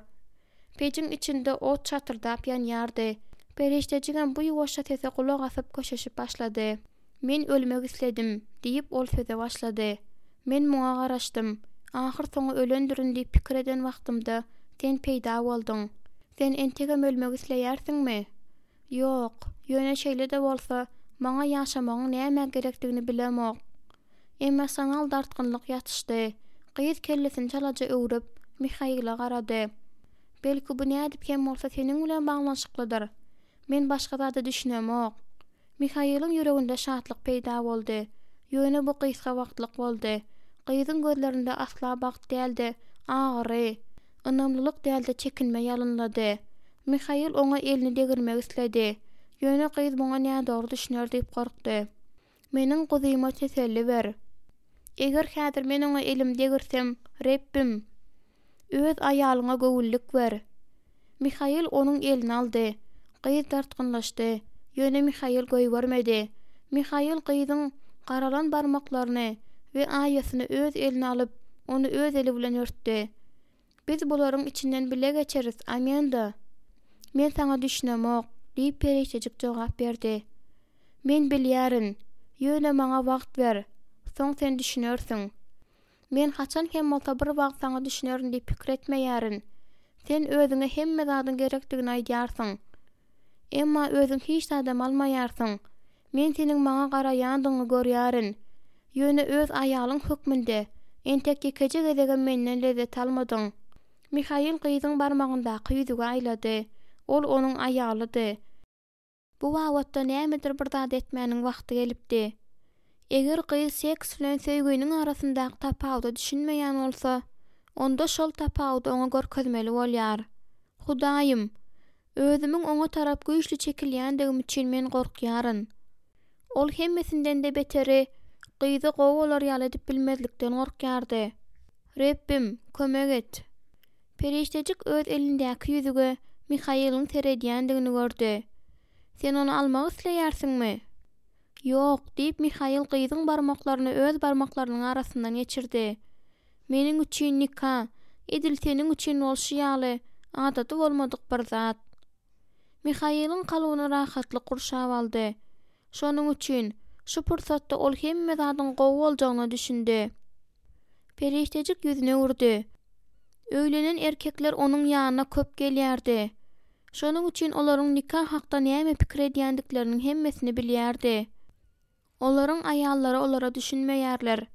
Pejiň içinde ot şatyrdap ýanýardy. Perişdejigem bu ýuwaşja sese gulak asyp köşeşip başlady. Men ölmek isledim, diýip, ol söze başlady. Men muňa garaşdym. Ahyrsoňy ölendirin diýip pikir eden wagtymda, sen peýda bolduň. Sen entegem ölmek isleýärsiňmi? Ýok. Ýöne şeýle-de bolsa, maňa ýaşamagyň nämä gerekdigini bilemok. Emosional dartgynlyk ýatyşdy. Gyz kellesini çalaja öwrüp, Mihaile garady. Belki bu nädip hem bolsa seniň bilen baglanyşyklydyr? Men başga zada düşünemok. Mihailiň ýüreginde şatlyk peýda boldy. Ýöne bu gysga wagtlyk boldy. Gyzyň gözlerinde asla bagt däl-de, agyry, ynamlylyk däl-de çekinme ýalynlady. Mihail oňa elini degirmek isledi. Ýöne gyz muňa nädogry düşüner diýip gorkdy. Meniň guzyma teselli ber. Eger häzir men oňa elimi degirsem, Rebbim, Öz aýalyňa göwünlik ber. Mihail onuň elini aldy. Gyz dartgynlaşdy. Ýöne Mihail goýbermedi. Mihail gyzyň garalan barmaklaryny we aýasyny öz eline alyp, ony öz eli bilen örtdi. Biz bularyň içinden bile geçeris, Amenda. Men saňa düşünemok, diýip perişdejik jogap berdi. Men bilýärin. Ýöne maňa wagt ber. Soň sen düşünersiň. Men haçan hem bolsa bir wagt saňa düşünerin diýip pikir etmeýärin. Sen özüňe hemme zadyň gerekdigini aýdýarsyň. Emma özüň hiç zadam almaýarsyň. Men seniň maňa garaýandygyňy görýärin. Ýöne öz aýalyň hökmünde, entek ýekeje gezegem menden lezzet almadyň. Mihail gyzyň barmagyndaky ýüzügi aýlady. Ol onuň aýalydy. Bu babatda nämedir bir zat etmäniň wagty gelipdi. Eger gyz seks bilen söýginiň arasyndaky tapawuda düşünmeýän bolsa, onda şol tapawudy oňa görkezmeli bolýar. Hudaýym, özümiň oňa tarap güýçli çekilýändigim üçin men gorkýaryn. Ol hemmesinden-de beteri, gyzy gowy bolar ýaly edip bilmezlikden gorkýardy. Rebbim, kömek et! Perişdejik öz elindäki ýüzüge Mihailiň seredýändigini gördi. Sen ony almak isleýärsiňmi? Ýok, diýip, Mihail gyzyň barmaklaryny öz barmaklarynyň arasyndan geçirdi. Meniň üçin nika, edil seniň üçin bolşy ýaly, adaty bolmadyk bir zat. Mihailiň kalbyny rahatlyk gurşap aldy. Şonuň üçin, şu pursatda ol hemme zadyň gowy boljagyna düşündi. Perişdejik ýüzüni öwürdi. Öýlenen erkekler onuň ýanyna köp gelýärdi. Şonuň üçin olaryň nika hakda näme pikir edýändikleriniň hemmesini bilýärdi. Olaryň aýallary olara düşünmeýärler.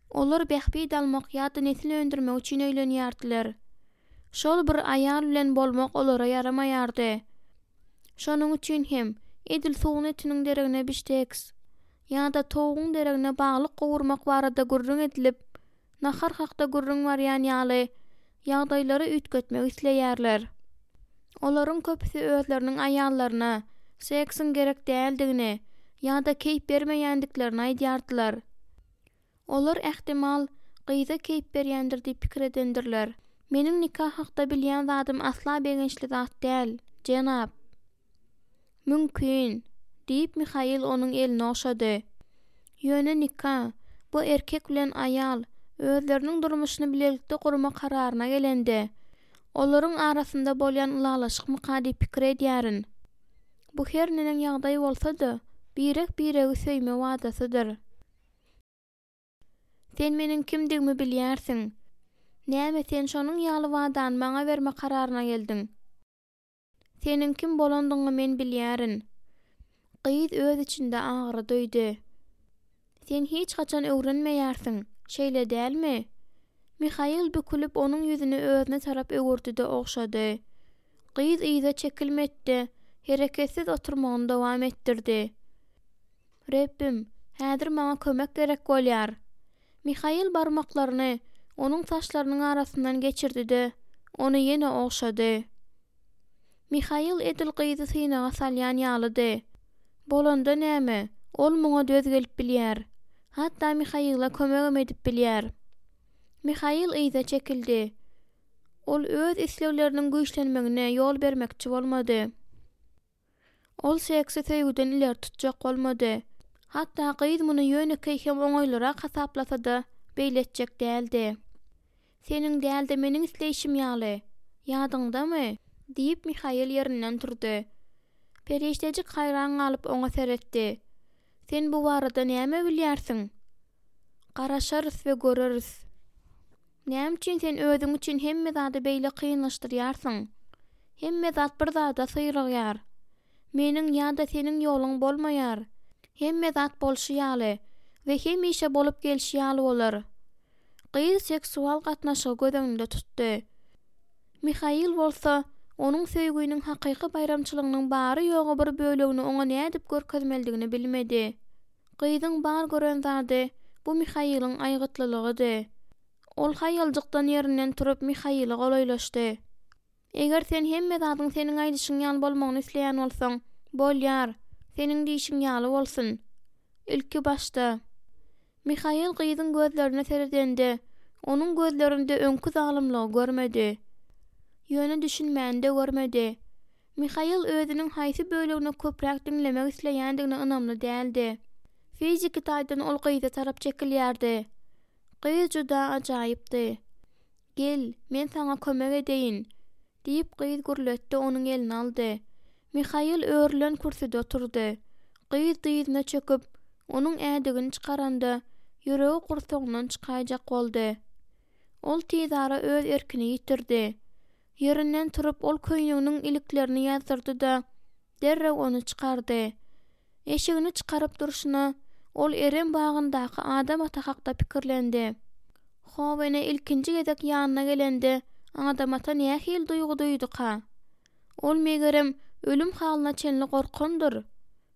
Olar bähbit almak ýa-da nesil öndürmek üçin öýlenýärdiler. Şol bir aýal bilen bolmak olara ýaramaýardy. Şonuň üçin hem, edil sugun etiniň deregine bişteks ýa-da towugyň deregine balyk gowurmak barada gürrüň edilip, nahar hakda gürrüň barýan ýaly, ýagdaýlary üýtgetmek isleýärler. Olaryň köpüsi özleriniň aýallaryna seksiň gerek däldigini ýa-da keýp bermeýändiklerini aýdýardylar. Olar, ähtimal, gyza keýp berýändir diýip pikir edendirler. Meniň nika hakda bilýän zadym asla begençli zat däl, jenap. Mümkin, diýip, Mihail onuň elini ogşady. Ýöne nika, bu erkek bilen aýal özleriniň durmuşyny bilelikde gurma kararyna gelende, olaryň arasynda bolýan ylalaşykmyka diýip pikir edýärin. Bu her neneň ýagdaý bolsa-da, birek-biregi söýme wadasydyr. Sen meniň kimdigimi bilýärsiň. Näme sen şonuň ýaly wadany maňa berme kararyna geldiň? Seniň kim bolandygyňy men bilýärin. Gyz öz içinde agyry duýdy. Sen hiç haçan öwrenmeýärsiň, şeýle dälmi? Mihail bükülip onuň ýüzüni özüne tarap öwürdi-de ogşady. Gyz yza çekilmedi-de, hereketsiz oturmagyny dowam etdirdi. Rebbim, häzir maňa kömek gerek bolýar. Mihail barmaklaryny onuň saçlarynyň arasyndan geçirdi-de, ony ýene ogşady. Mihail edil gyzy synaga salýan ýalydy. Bolanda näme, ol muňa döz gelip bilýär. Hatda Mihaila kömegem edip bilýär. Mihail yza çekildi. Ol öz islegleriniň güýçlenmegine ýol bermekçi bolmady. Ol seksi söýgüden ileri tutjak bolmady. Hatda gyz muny ýönekeý hem oňaýlyrak hasaplasa-da, beýle etjek däldi. Seniň däl-de, meniň isleýşim ýaly. Ýadyňdamy? Diýip, Mihail ýerinden turdy. Perişdejik haýran galyp oňa seretdi. Sen bu barada näme bilýärsiň? Garaşarys we göreris. Näme üçin sen özüň üçin hemme zady beýle kynlaşdyrýarsyň? Hemme zat bir zada syrygýar. Meniň ýa-da seniň ýoluň bolmaýar. Hemme zat bolşy ýaly we hemişe bolup gelşi ýaly bolar. Gyz seksual gatnaşygy göz öňünde tutdy. Mihail bolsa, onuň söýginiň hakyky baýramçylygynyň bary-ýogy bir bölegini oňa nädip görkezmelidigini bilmedi. Gyzyň bar gören zady, bu Mihailiň aýgytlylygydy. Ol haýaljykdan ýerinden turup Mihaile golaýlaşdy. Eger sen hemme zadyň seniň aýdyşyň ýaly bolmagyny isleýän bolsaň, bolýar, seniň diýşiň ýaly bolsun. Ilki başda. Mihail gyzyň gözlerine seredende, onuň gözlerinde öňki zalymlygy görmedi. Ýöne düşünmäni-de görmedi. Mihail özüniň haýsy bölegini köpräk diňlemek isleýändigine ynamly däldi. Fiziki taýdan ol gyza tarap çekilýärdi. Gyz juda ajaýypdy. Gel, men saňa kömek edeýin, diýip, gyz gürletdi, onuň elini aldy. Mihail örülen kürsüde oturdy. Gyz dyzyna çöküp, onuň ädigini çykaranda, ýüregi gursagyndan çykaýjak boldy. Ol tizara öz erkini ýitirdi. Ýerinden turup, ol köýneginiň iliklerini ýazdyrdy-da, derrew ony çykardy. Eşigini çykaryp durşuna, ol Erem bagyndaky Adam ata hakda pikirlendi. How ene ilkinji gezek ýanyna gelende, Adam ata nähili duýgy duýduka? Ol, megerem, ölüm halyna çenli gorkandyr.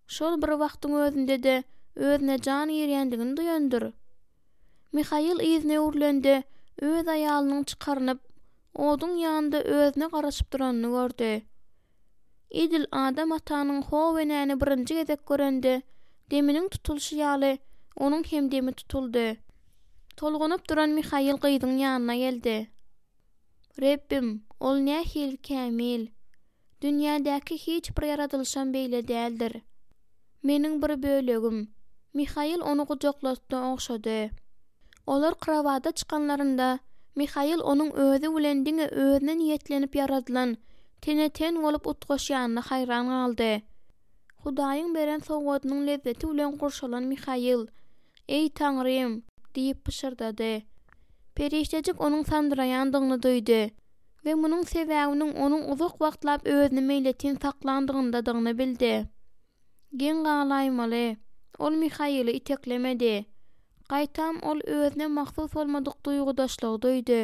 Şol bir wagtyň özünde-de özüne jan girýändigini duýandyr. Mihail yzyna öwrülende, öz aýalynyň çykarynyp, oduň ýanynda özüne garaşyp duranyny gördi. Edil Adam atanyň How enäni birinji gezek görende, deminiň tutulyşy ýaly, onuň hem demi tutuldy. Tolgunyp duran Mihail gyzyň ýanyna geldi. Rebbim, ol nähili kämil! Dünýädäki hiç bir ýaradylyşam beýle däldir. Meniň bir bölegim. Mihail ony gujaklatdy, ogşady. Olar krowada çykanlarynda, Mihail onuň özi bilen diňe özüne niýetlenip ýaradylan, tene-ten bolup utgaşýanyna haýran galdy. Hudaýyň beren sowgadynyň lezzeti bilen gurşalan Mihail, Eý, Taňrym! diýip pyşyrdady. Perişdejik onuň sandyraýandygyny duýdy we munuň sebäbiniň onuň uzak wagtlap özüni meýletin saklandygyndadygyny bildi. Geň galaýmaly, ol Mihaili iteklemedi. Gaýtam ol özüne mahsus bolmadyk duýgudaşlygy duýdy.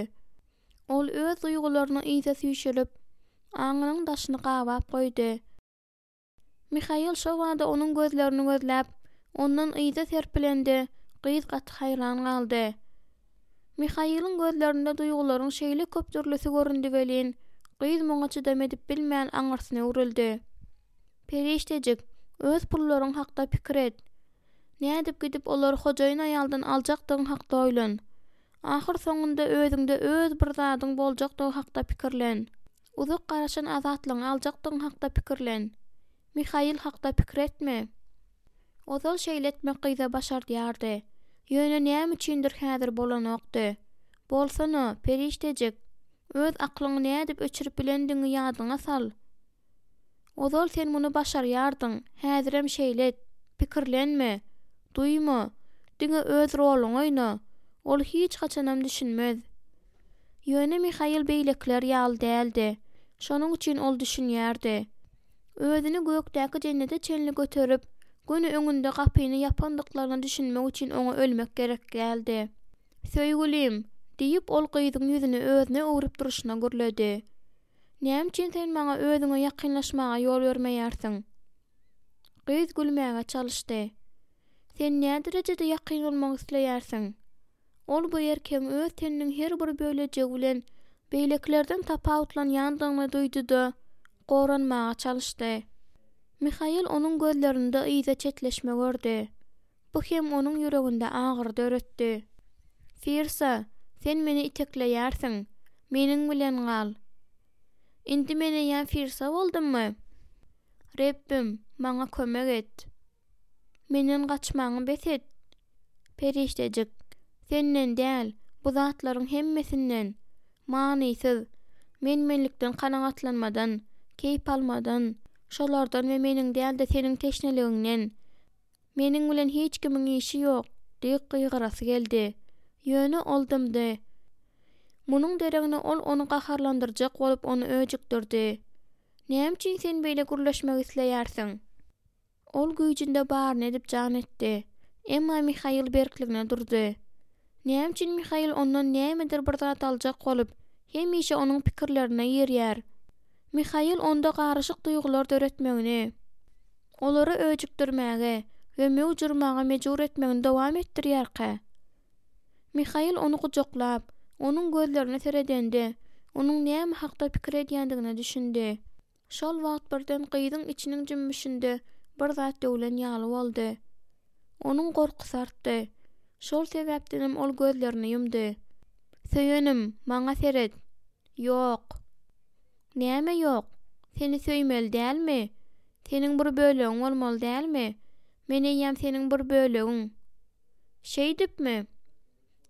Ol öz duýgularyny yza süýşürip, aňynyň daşyny gabap goýdy. Mihail şo bada onuň gözlerini gözläp, ondan yza serpilende, gyz gaty haýran galdy. Mihailiň gözlerinde duýgularyň şeýle köp dürlüsi göründi welin, gyz muňa çydam edip bilmän aňyrsyna öwrüldi. Perişdejik, öz pullaryň hakda pikir et. Nädip gidip olary hojaýyn aýaldan aljakdygyň hakda oýlan. Ahyr soňunda özüňde öz bir zadyň boljakdygy hakda pikirlen. Uzak garaşan azatlygyňy aljakdygyň hakda pikirlen. Mihail hakda pikir etme. Ozal şeýle etmek gyza başardýardy. Ýöne näme üçindir häzir bolanokdy. Bolsana, perişdejik! Öz aklyňy nädip öçürip bilendigiňi ýadyňa sal. Ozal sen muny başarýardyň, häzirem şeýle et. Pikirlenme. Duýma. Diňe öz roluňy oýna. Ol hiç haçanam düşünmez. Ýöne Mihail beýlekiler ýaly däldi. Şonuň üçin ol düşünýärdi. Özüni gökdäki jennete çenli göterip, göni öňünde gapyny ýapandyklaryna düşünmek üçin oňa ölmek gerek däldi. Söýgülim! diýip, ol gyzyň ýüzüni özüne öwrüp durşuna gürledi. Näme üçin sen maňa özüňe ýakynlaşmaga ýol bermeýärsiň? Gyz gülmäge çalyşdy. Sen näderejede ýakyn bolmak isleýärsiň? Ol bu erkegiň öz teniniň her bir bölejigi bilen beýlekilerden tapawutlanýandygyny duýdy-da, goranmaga çalyşdy. Mihail onuň gözlerinde yza çetleşme gördi. Bu hem onuň ýüreginde agyry döretdi. Firsa, sen meni itekleýärsiň. Meniň bilen gal. Indi men eýýäm Firsa boldummy? Rebbim, maňa kömek et. Menden gaçmaňy bes et. Perişdejik, senden däl, bu zatlaryň hemmesinden. Manysyz, men-menlikden kanagatlanmadan, keýp almadan, şolardan we meniň däl-de seniň teşneligiňden. Meniň bilen hiç kimiň işi ýok! diýip gygyrasy geldi. Ýöne ol dymdy. Munuň deregine ol ony gaharlandyrjak bolup ony öjükdirdi. Näme üçin sen beýle gürleşmek isleýärsiň? Ol güýjünde baryny edip jan etdi. Emma Mihail berkligine durdy. Näme üçin Mihail ondan nämedir bir zat aljak bolup, hemişe onuň pikirlerine girýär? Mihail onda garyşyk duýgular döretmegini, olary öjükdirmäge we möwç urmaga mejbur etmegini dowam etdirýärkä? Mihail ony gujaklap, onuň gözlerine seredende, onuň näme hakda pikir edýändigine düşündi. Şol wagt birden gyzyň içiniň jümmüşinde bir zat döwlen ýaly boldy. Onuň gorkusy artdy. Şol sebäpdenem ol gözlerini ýumdy. Söýenim, maňa seret. Ýok. Näme ýok? Seni söýmeli dälmi? Seniň bir bölegiň bolmaly dälmi? Men eýýäm seniň bir bölegiň. Şeýdipmi?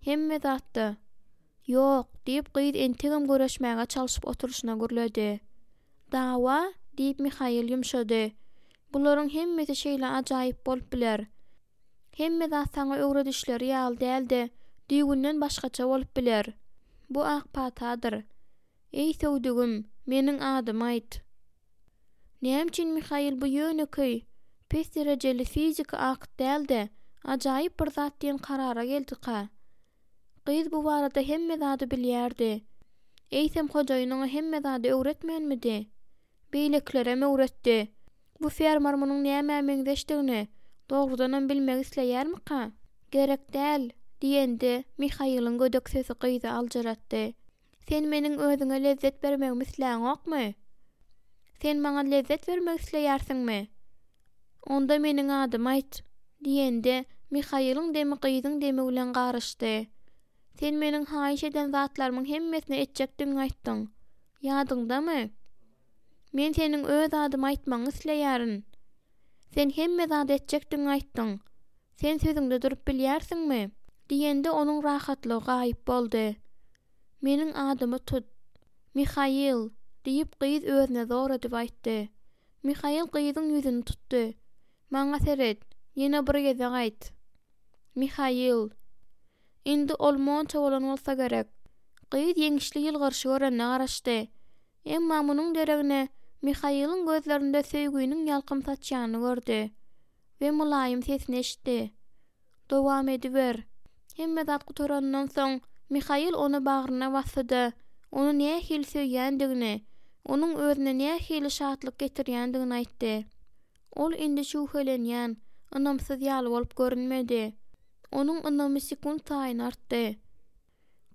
Hemme zatda. Ýok, diýip, gyz entegem göreşmäge çalşyp oturyşyna gürledi. Dawa? diýip, Mihail ýumşady. Bularyň hemmesi şeýle ajaýyp bolup biler. Hemme zat saňa öwredişleri ýaly däl-de, düýbünden başgaça bolup biler. Bu ak patadyr. Eý, söwdügim, meniň adymy aýt. Näme üçin Mihail bu ýönekeý, pes derejeli fiziki akt däl-de, ajaýyp bir zat diýen karara geldika? Gyz bu barada hemme zady bilýärdi. Eýsem hojaýyn oňa hemme zady öwretmänmidi? Beýlekilerem öwretdi. Bu fermer munuň nämä meňzeşdigini dogrudanam bilmek isleýärmika? Gerek däl, diýende, Mihailiň gödek sesi gyzy aljyratdy. Sen meniň özüňe lezzet bermegimi isläňokmy? Sen maňa lezzet bermek isleýärsiňmi? Onda meniň adymy aýt, diýende, Mihailiň demi gyzyň demi bilen garyşdy. Sen meniň haýyş eden zatlarymyň hemmesini etjekdigiňi aýtdyň. Ýadyňdamy? Men seniň öz adymy aýtmagyňy isleýärin. Sen hemme zady etjekdigiňi aýtdyň. Sen sözüňde durup bilýärsiňmi? Diýende onuň rahatlygy gaýyp boldy. Meniň adymy tut. Mihail, diýip, gyz özüne zor edip aýtdy. Mihail gyzyň ýüzüni tutdy. Maňa seret, ýene bir gezek aýt. Mihail. Indi ol monça bolan bolsa gerek. Gyz ýeňişli ýylgyryşy görenine garaşdy. Emma munuň deregine Mihailiň gözlerinde söýginiň ýalkym saçýanyny gördi we mylaýym sesini eşitdi. Dowam ediber. Hemme zat gutaranyndan soň, Mihail ony bagryna basdy-da, ony nähili söýýändigini, onuň özüne nähili şatlyk getirýändigini aýtdy. Ol indi şübhelenýän, ynamsyz ýaly bolup görünmedi. Onuň ynamy sekunt saýyn artdy.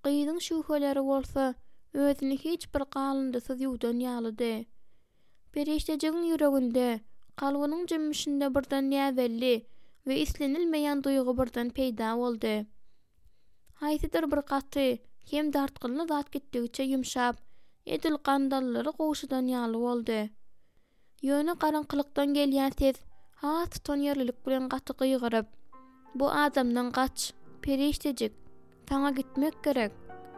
Gyzyň şübheleri bolsa, özüni hiç bir galyndysyz ýuwdan ýalydy. Perişdejigiň ýüreginde, kalbynyň jümmüşinde birden näbelli we islenilmeýän duýgy birden peýda boldy. Haýsydyr bir gaty hem dartgynly zat gitdigiçe ýumşap, edil gandallary gowşadan ýaly boldy. Ýöne garaňkylykdan gelýän ses has tutanýerlilik bilen gaty gygyryp, Bu adamdan gaç, perişdejik, saňa gitmek gerek,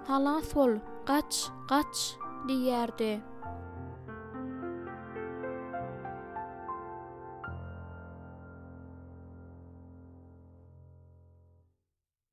halas bol, gaç, gaç! diýýärdi.